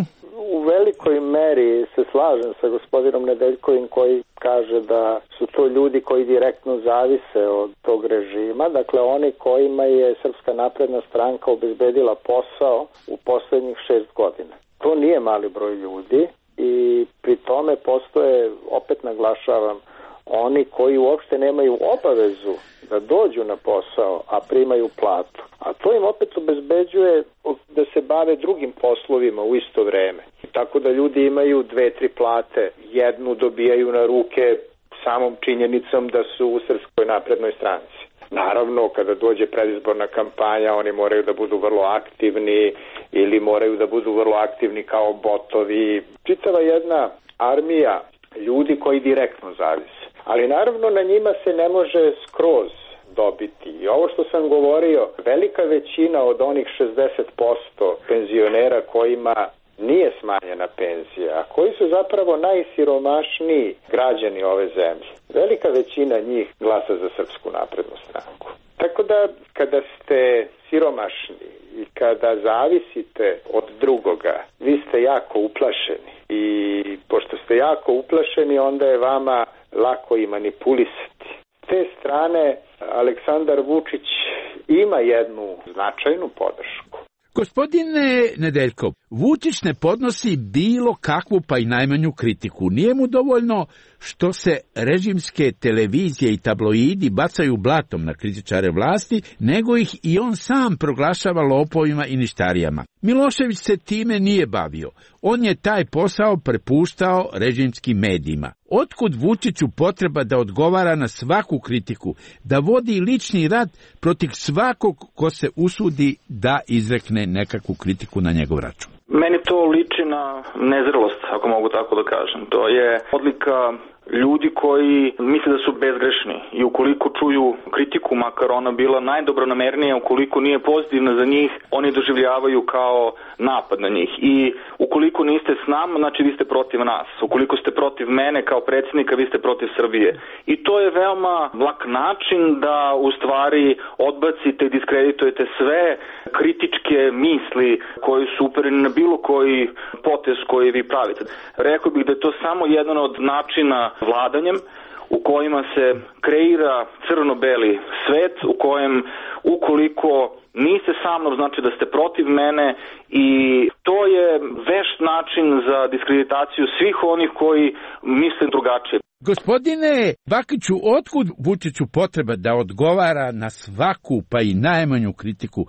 U velikoj meri se slažem sa gospodinom Nedeljkovim koji kaže da su to ljudi koji direktno zavise od tog režima. Dakle, oni kojima je Srpska napredna stranka obezbedila posao u poslednjih 6 godina. To nije mali broj ljudi i pri tome postoje, opet naglašavam, oni koji uopšte nemaju obavezu da dođu na posao, a primaju platu. A to im opet obezbeđuje da se bave drugim poslovima u isto vreme. Tako da ljudi imaju 2-3 plate. Jednu dobijaju na ruke samom činjenicom da su u Srpskoj naprednoj stranci. Naravno, kada dođe predizborna kampanja, oni moraju da budu vrlo aktivni ili moraju da budu vrlo aktivni kao botovi. Čitava jedna armija ljudi koji direktno zavise. Ali naravno na njima se ne može skroz dobiti. I ovo što sam govorio, velika većina od onih 60% penzionera kojima nije smanjena penzija, a koji su zapravo najsiromašniji građani ove zemlje. Velika većina njih glasa za Srpsku naprednu stranku. Tako da kada ste siromašni i kada zavisite od drugoga, vi ste jako uplašeni. I pošto ste jako uplašeni, onda je vama lako i manipulisati. S te strane, Aleksandar Vučić ima jednu značajnu podršku. Gospodine Nedeljkov, Vučić ne podnosi bilo kakvu pa i najmanju kritiku. Nije mu dovoljno što se režimske televizije i tabloidi bacaju blatom na kritičare vlasti, nego ih i on sam proglašava lopovima i ništarijama. Milošević se time nije bavio. On je taj posao prepuštao režimskim medijima. Otkud Vučiću potreba da odgovara na svaku kritiku, da vodi lični rat protiv svakog ko se usudi da izrekne nekakvu kritiku na njegov račun? Meni to liči na nezrelost, ako mogu tako da kažem. To je odlika ljudi koji misle da su bezgrešni i ukoliko čuju kritiku, makar ona bila najdobronamernija, ukoliko nije pozitivna za njih, oni doživljavaju kao napad na njih. I ukoliko niste s nama, znači vi ste protiv nas. Ukoliko ste protiv mene kao predsjednika, vi ste protiv Srbije. I to je veoma lak način da u stvari odbacite i diskreditujete sve kritičke misli koji su upereni na bilo koji potez koji vi pravite. Rekao bih da je to samo jedan od načina vladanjem u kojima se kreira crno-beli svet, u kojem ukoliko niste sa mnom, znači da ste protiv mene i to je vešt način za diskreditaciju svih onih koji misle drugačije. Gospodine Bakiću, otkud Vučiću potreba da odgovara na svaku, pa i najmanju kritiku,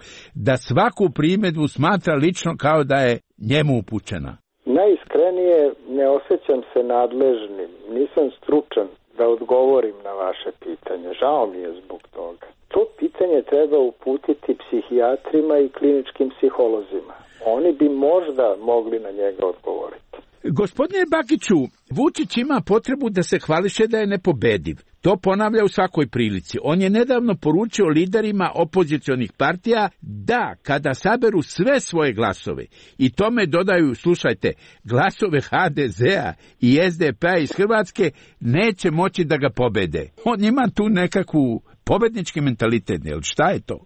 da svaku primedbu smatra lično kao da je njemu upućena? Najiskrenije ne osjećam se nadležnim, nisam stručan da odgovorim na vaše pitanje. Žao mi je zbog toga. To pitanje treba uputiti psihijatrima i kliničkim psiholozima. Oni bi možda mogli na njega odgovoriti. Gospodine Bakiću, Vučić ima potrebu da se hvališe da je nepobediv. To ponavlja u svakoj prilici. On je nedavno poručio liderima opozicionih partija da kada saberu sve svoje glasove i tome dodaju, slušajte, glasove HDZ-a i SDP-a iz Hrvatske, neće moći da ga pobede. On ima tu nekakvu pobednički mentalitet, jel šta je to?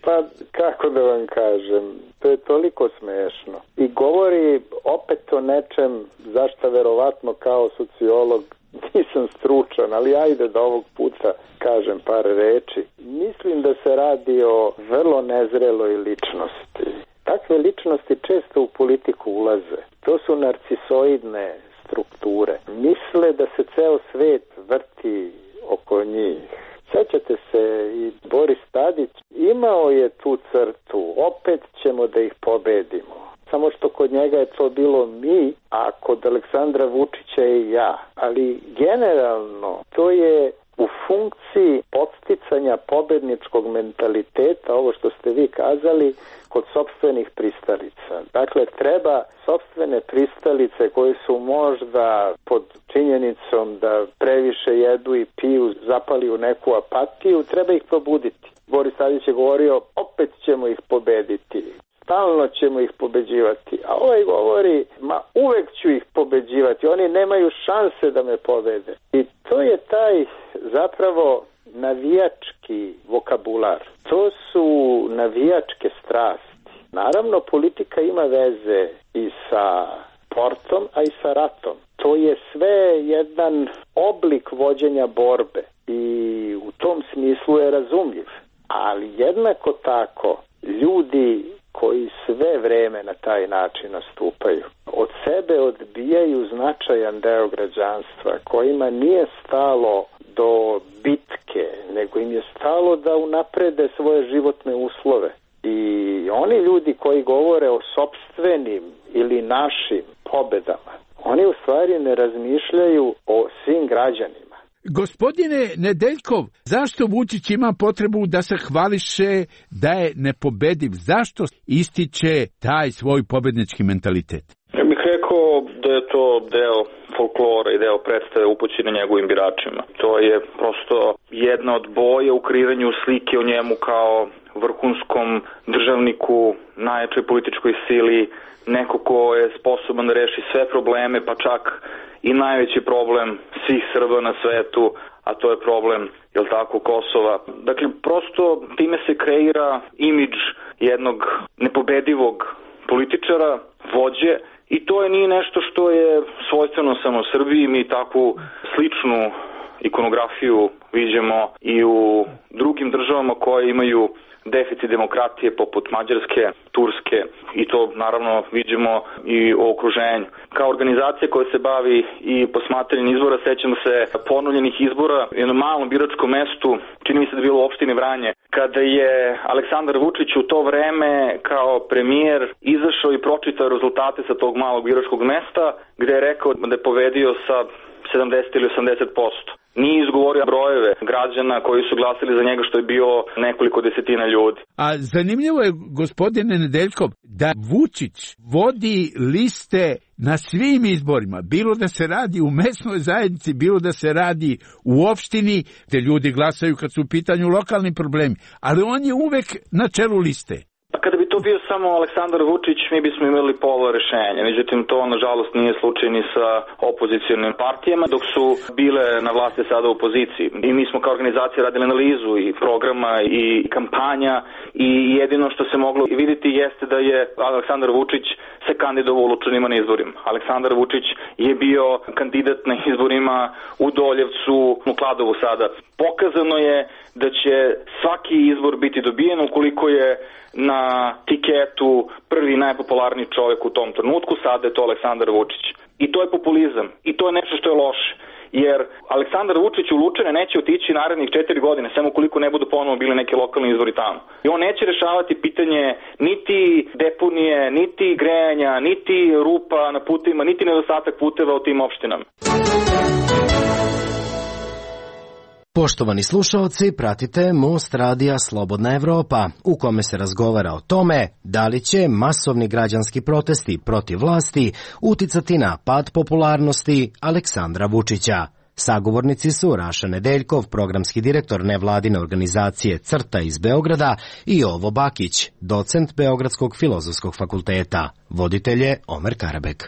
Pa kako da vam kažem, to je toliko smešno. I govori opet o nečem zašto verovatno kao sociolog nisam stručan, ali ajde da ovog puta kažem par reči. Mislim da se radi o vrlo nezreloj ličnosti. Takve ličnosti često u politiku ulaze. To su narcisoidne strukture. Misle da se ceo svet vrti oko njih. Sećate se, i Boris Tadić imao je tu crtu, opet ćemo da ih pobedimo. Samo što kod njega je to bilo mi, a kod Aleksandra Vučića i ja. Ali generalno to je u funkciji podsticanja pobedničkog mentaliteta, ovo što ste vi kazali, kod sopstvenih pristalica. Dakle, treba sopstvene pristalice koje su možda pod činjenicom da previše jedu i piju, zapali u neku apatiju, treba ih probuditi. Boris Tadić je govorio, opet ćemo ih pobediti. Stalno ćemo ih pobeđivati. A ovaj govori, ma uvek ću ih pobeđivati. Oni nemaju šanse da me pobede. I to je taj zapravo navijački vokabular. To su navijačke strasti. Naravno, politika ima veze i sa sportom, a i sa ratom. To je sve jedan oblik vođenja borbe i u tom smislu je razumljiv. Ali jednako tako, ljudi koji sve vreme na taj način nastupaju, od sebe odbijaju značajan deo građanstva, kojima nije stalo do bitke, nego im je stalo da unaprede svoje životne uslove. I oni ljudi koji govore o sopstvenim ili našim pobedama, oni u stvari ne razmišljaju o svim građanima. Gospodine Nedeljkov, zašto Vučić ima potrebu da se hvališe da je nepobediv? Zašto ističe taj svoj pobednički mentalitet? Ja bih rekao da je to deo folklora i deo predstave upućene njegovim biračima. To je prosto jedna od boja u kreiranju slike o njemu kao vrhunskom državniku, najjačoj političkoj sili, neko ko je sposoban da reši sve probleme, pa čak i najveći problem svih Srba na svetu, a to je problem, jel tako, Kosova. Dakle, prosto time se kreira imidž jednog nepobedivog političara, vođe, i to je nije nešto što je svojstveno samo Srbiji. Mi takvu sličnu ikonografiju viđamo i u drugim državama koje imaju deficit demokratije poput Mađarske, Turske, i to naravno viđamo i u okruženju. Kao organizacija koja se bavi i posmatranjem izbora, sećamo se ponovljenih izbora u jednom malom biračkom mestu, čini mi se da je bilo u opštini Vranje, kada je Aleksandar Vučić u to vreme kao premijer izašao i pročitao rezultate sa tog malog biračkog mesta, gde je rekao da je pobedio sa 70 ili 80%. Nije izgovorio brojeve građana koji su glasili za njega, što je bio nekoliko desetina ljudi. A zanimljivo je, gospodine Nedeljkov, da Vučić vodi liste na svim izborima, bilo da se radi u mesnoj zajednici, bilo da se radi u opštini, gde ljudi glasaju kad su u pitanju lokalni problemi, ali on je uvek na čelu liste. Kada bi to bio samo Aleksandar Vučić, mi bismo imali pola rešenja. Međutim, to nažalost nije slučaj ni sa opozicionim partijama, dok su bile na vlasti sada u opoziciji. I mi smo kao organizacija radili analizu i programa i kampanja i jedino što se moglo vidjeti jeste da je Aleksandar Vučić se kandidovao u Lučanima na izborima. Aleksandar Vučić je bio kandidat na izborima u Doljevcu, u Kladovu sada. Pokazano je da će svaki izbor biti dobijen ukoliko je na tiketu prvi najpopularniji čovjek u tom trenutku, sada je to Aleksandar Vučić. I to je populizam. I to je nešto što je loše. Jer Aleksandar Vučić u Lučane neće otići narednih 4 godine, samo ukoliko ne budu ponovo bili neki lokalni izbori tamo. I on neće rešavati pitanje niti deponije, niti grejanja, niti rupa na putevima, niti nedostatak puteva u tim opštinama. Poštovani slušaoci, pratite Most radija Slobodna Evropa, u kome se razgovara o tome da li će masovni građanski protesti protiv vlasti uticati na pad popularnosti Aleksandra Vučića. Sagovornici su Raša Nedeljkov, programski direktor nevladine organizacije CRTA iz Beograda, i Jovo Bakić, docent Beogradskog filozofskog fakulteta. Voditelj je Omer Karabek.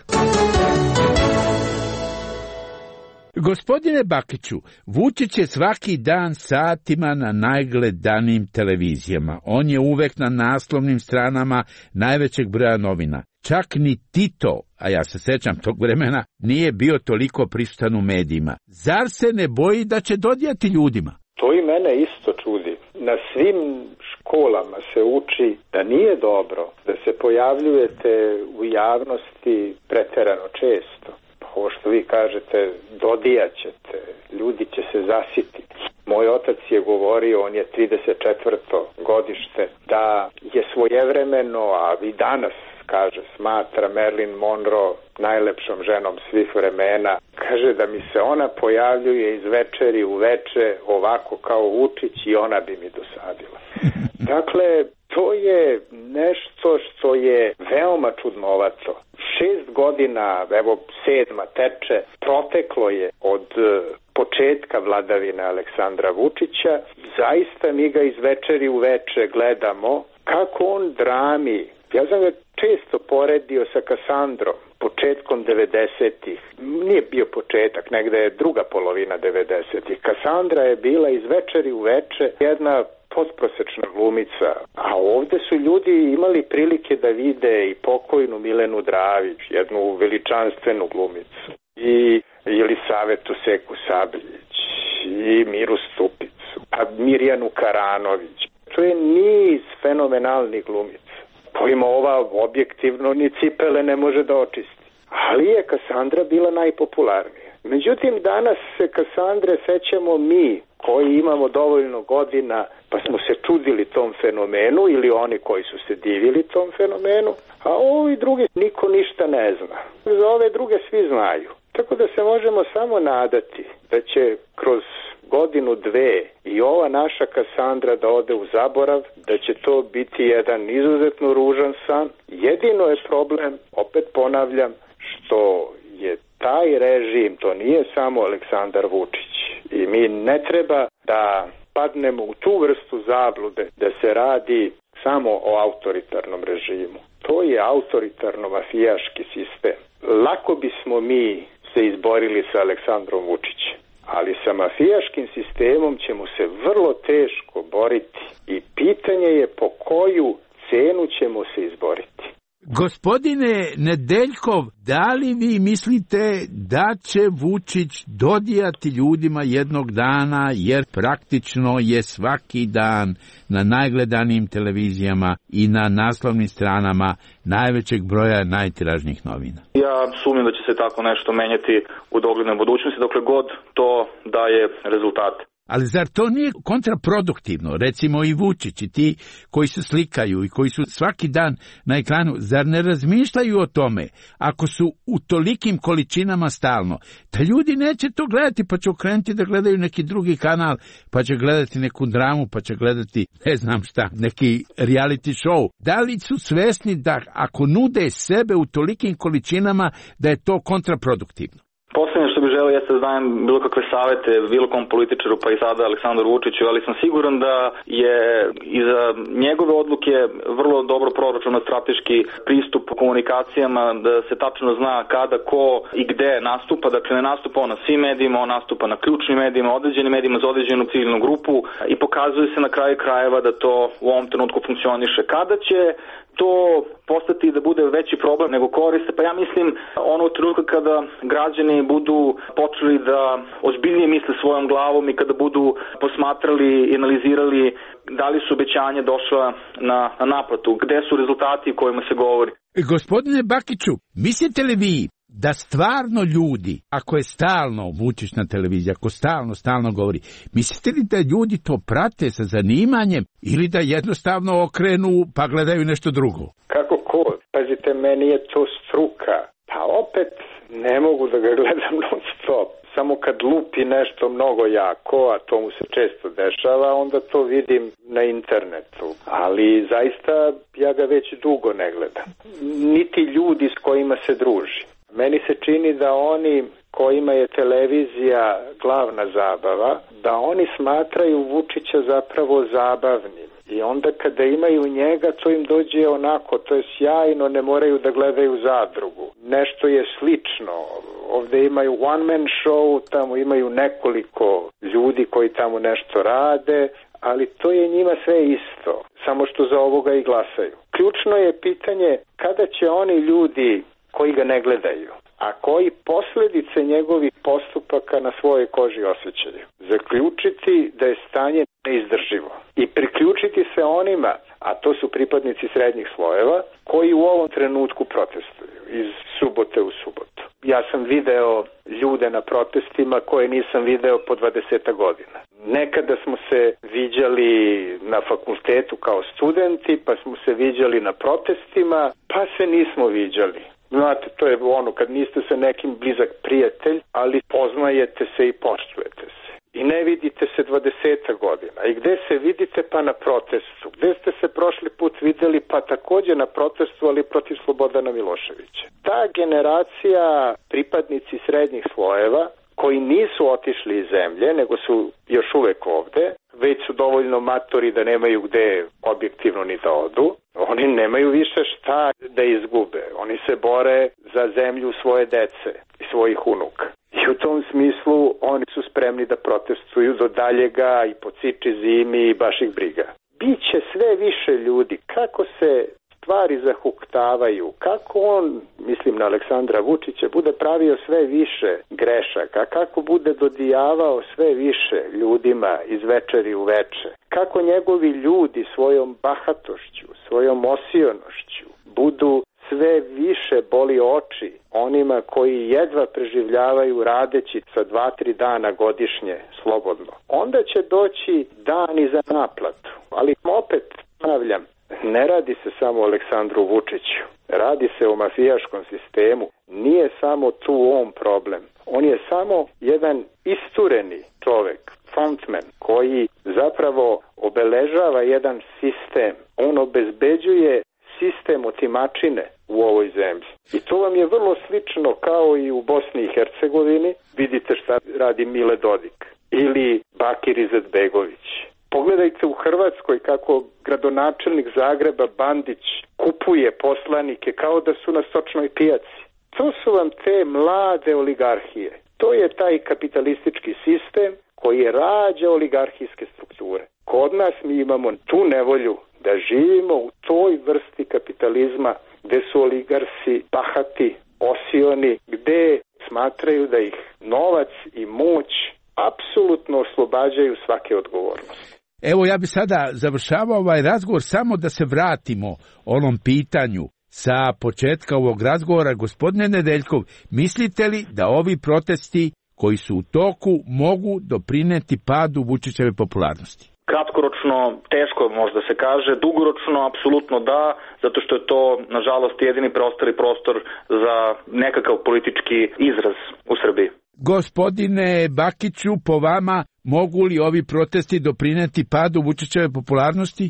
Gospodine Bakiću, Vučić je svaki dan satima na najgledanijim televizijama. On je uvek na naslovnim stranama najvećeg broja novina. Čak ni Tito, a ja se sećam tog vremena, nije bio toliko prisutan u medijima. Zar se ne boji da će dodijati ljudima? To i mene isto čudi. Na svim školama se uči da nije dobro da se pojavljujete u javnosti preterano često. Ovo što vi kažete, dodijaćete, ljudi će se zasititi. Moj otac je govorio, on je 34. godište, da je svojevremeno, a i danas, kaže, smatra Marilyn Monroe najlepšom ženom svih vremena. Kaže da mi se ona pojavljuje iz večeri u veče ovako kao Vučić i ona bi mi dosadila. Dakle, to je nešto što je veoma čudnovato. 6 godina, evo 7. teče, proteklo je od početka vladavine Aleksandra Vučića. Zaista mi ga iz večeri u veče gledamo kako on drami. Ja sam ga često poredio sa Kasandrom, početkom 90-ih. Nije bio početak, negde je druga polovina 90-ih. Kasandra je bila iz večeri u veče jedna potprosečna glumica, a ovde su ljudi imali prilike da vide i pokojnu Milenu Dravić, jednu veličanstvenu glumicu, i Jelisavetu Seku Sabljić, i Miru Stupicu, a Mirjanu Karanović. To je niz fenomenalnih glumica, kojima ova objektivno ni cipele ne može da očisti. Ali je Kasandra bila najpopularnija. Međutim, danas se Kasandre sećamo mi, koji imamo dovoljno godina, pa smo se čudili tom fenomenu, ili oni koji su se divili tom fenomenu, a ovi drugi niko ništa ne zna. Za ove druge svi znaju. Tako da se možemo samo nadati da će kroz godinu, dve i ova naša Kasandra da ode u zaborav, da će to biti jedan izuzetno ružan san. Jedino je problem, opet ponavljam, što je taj režim, to nije samo Aleksandar Vučić. I mi ne treba da padnemo u tu vrstu zablude da se radi samo o autoritarnom režimu. To je autoritarno-mafijaški sistem. Lako bismo mi se izborili sa Aleksandrom Vučićem, ali sa mafijaškim sistemom ćemo se vrlo teško boriti i pitanje je po koju cenu ćemo se izboriti. Gospodine Nedeljkov, da li vi mislite da će Vučić dodijati ljudima jednog dana, jer praktično je svaki dan na najgledanijim televizijama i na naslovnim stranama najvećeg broja najtiražnijih novina? Ja sumnjam da će se tako nešto menjati u doglednoj budućnosti, dokle god to daje rezultate. Ali zar to nije kontraproduktivno? Recimo i Vučić i ti koji se slikaju i koji su svaki dan na ekranu, zar ne razmišljaju o tome, ako su u tolikim količinama stalno, da ljudi neće to gledati, pa će okrenuti da gledaju neki drugi kanal, pa će gledati neku dramu, pa će gledati, ne znam šta, neki reality show. Da li su svesni da ako nude sebe u tolikim količinama, da je to kontraproduktivno? Poslednje što što bih želeo jeste da dajem bilo kakve savete bilo kom političaru, pa i sada Aleksandru Vučiću, ali sam siguran da je iza njegove odluke vrlo dobro proračunat strateški pristup komunikacijama, da se tačno zna kada, ko i gde nastupa. Dakle, ne nastupa on na svim medijima, on nastupa na ključnim medijima, određenim medijima za određenu ciljnu grupu i pokazuje se na kraju krajeva da to u ovom trenutku funkcioniše. Kada će to postati da bude veći problem nego koriste, pa ja mislim ono trenutka kada građani budu počeli da ozbiljnije misle svojom glavom i kada budu posmatrali i analizirali da li su obećanja došla na naplatu, gde su rezultati o kojima se govori. Gospodine Bakiću, mislite li vi da stvarno ljudi, ako je stalno Vučić na televiziji, ako stalno govori, mislite li da ljudi to prate sa zanimanjem ili da jednostavno okrenu pa gledaju nešto drugo? Kako ko? Pazite, meni je to struka. Pa opet ne mogu da ga gledam non stop. Samo kad lupi nešto mnogo jako, a to mu se često dešava, onda to vidim na internetu. Ali zaista ja ga već dugo ne gledam. Niti ljudi s kojima se druži. Meni se čini da oni kojima je televizija glavna zabava, da oni smatraju Vučića zapravo zabavnim. I onda kada imaju njega, to im dođe onako, to je sjajno, ne moraju da gledaju Zadrugu. Nešto je slično. Ovde imaju one man show, tamo imaju nekoliko ljudi koji tamo nešto rade, ali to je njima sve isto, samo što za ovoga i glasaju. Ključno je pitanje kada će oni ljudi koji ga ne gledaju, a koji posljedice njegovih postupaka na svojoj koži osjećaju, zaključiti da je stanje neizdrživo i priključiti se onima, a to su pripadnici srednjih slojeva, koji u ovom trenutku protestuju iz subote u subotu. Ja sam video ljude na protestima koje nisam video po 20 godina. Nekada smo se viđali na fakultetu kao studenti, pa smo se viđali na protestima, pa se nismo viđali. Znate, to je ono kad niste sa nekim blizak prijatelj, ali poznajete se i poštujete se. I ne vidite se 20 godina. I gde se vidite? Pa na protestu. Gde ste se prošli put videli? Pa također na protestu, ali protiv Slobodana Miloševića. Ta generacija pripadnici srednjih slojeva koji nisu otišli iz zemlje, nego su još uvek ovde, već su dovoljno matori da nemaju gde objektivno ni da odu, oni nemaju više šta da izgube. Oni se bore za zemlju svoje dece i svojih unuka. I u tom smislu oni su spremni da protestuju do daljega i po ciči zimi i baš ih briga. Biće sve više ljudi. Kako se stvari zahuktavaju, kako on, mislim na Aleksandra Vučića, bude pravio sve više grešaka, kako bude dodijavao sve više ljudima iz večeri u veče, kako njegovi ljudi svojom bahatošću, svojom osionošću budu sve više boli oči onima koji jedva preživljavaju radeći sa 2-3 dana godišnje slobodno. Onda će doći dani za naplatu. Ali opet ponavljam, ne radi se samo o Aleksandru Vučiću. Radi se o mafijaškom sistemu. Nije samo tu on problem. On je samo jedan istureni čovek, frontman, koji zapravo obeležava jedan sistem. On obezbeđuje sistem otimačine u ovoj zemlji. I to vam je vrlo slično kao i u Bosni i Hercegovini. Vidite šta radi Mile Dodik ili Bakir Izetbegović. Pogledajte u Hrvatskoj kako gradonačelnik Zagreba Bandić kupuje poslanike kao da su na stočnoj pijaci. To su vam te mlade oligarhije. To je taj kapitalistički sistem koji rađa oligarhijske strukture. Kod nas mi imamo tu nevolju da živimo u toj vrsti kapitalizma gde su oligarsi bahati, osioni, gde smatraju da ih novac i moć apsolutno oslobađaju svake odgovornosti. Evo ja bi sada završavao ovaj razgovor samo da se vratimo onom pitanju sa početka ovog razgovora. Gospodine Nedeljkov, mislite li da ovi protesti koji su u toku mogu doprineti padu Vučićeve popularnosti? Kratkoročno teško možda se kaže, dugoročno apsolutno da, zato što je to nažalost jedini preostali prostor za nekakav politički izraz u Srbiji. Gospodine Bakiću, po vama mogu li ovi protesti doprineti padu Vučićeve popularnosti?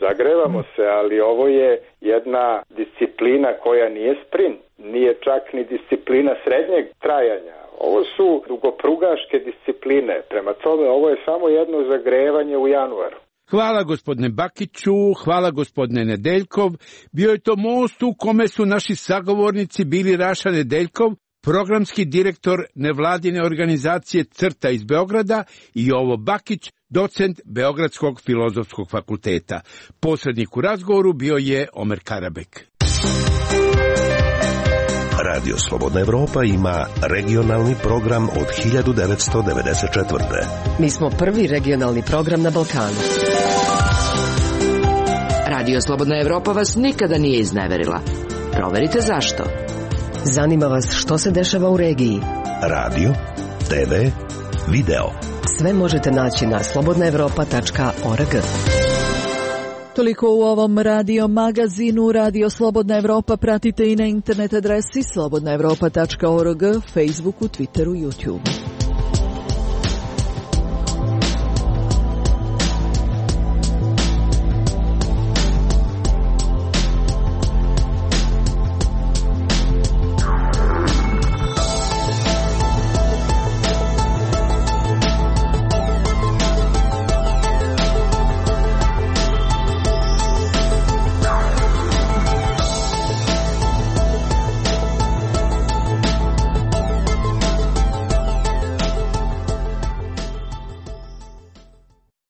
Zagrevamo se, ali ovo je jedna disciplina koja nije sprint, nije čak ni disciplina srednjeg trajanja. Ovo su dugoprugaške discipline, prema tome ovo je samo jedno zagrevanje u januaru. Hvala gospodine Bakiću, hvala gospodine Nedeljkov. Bio je to most u kome su naši sagovornici bili Raša Nedeljkov, programski direktor nevladine organizacije CRTA iz Beograda, i Jovo Bakić, docent Beogradskog filozofskog fakulteta. Posrednik u razgovoru bio je Omer Karabek. Radio Slobodna Evropa ima regionalni program od 1994. Mi smo prvi regionalni program na Balkanu. Radio Slobodna Evropa vas nikada nije izneverila. Proverite zašto. Zanima vas što se dešava u regiji. Radio, TV, video. Sve možete naći na slobodnaevropa.org. Toliko u ovom radio magazinu. Radio Slobodna Evropa pratite i na internet adresi slobodnaevropa.org, Facebooku, Twitteru, YouTubeu.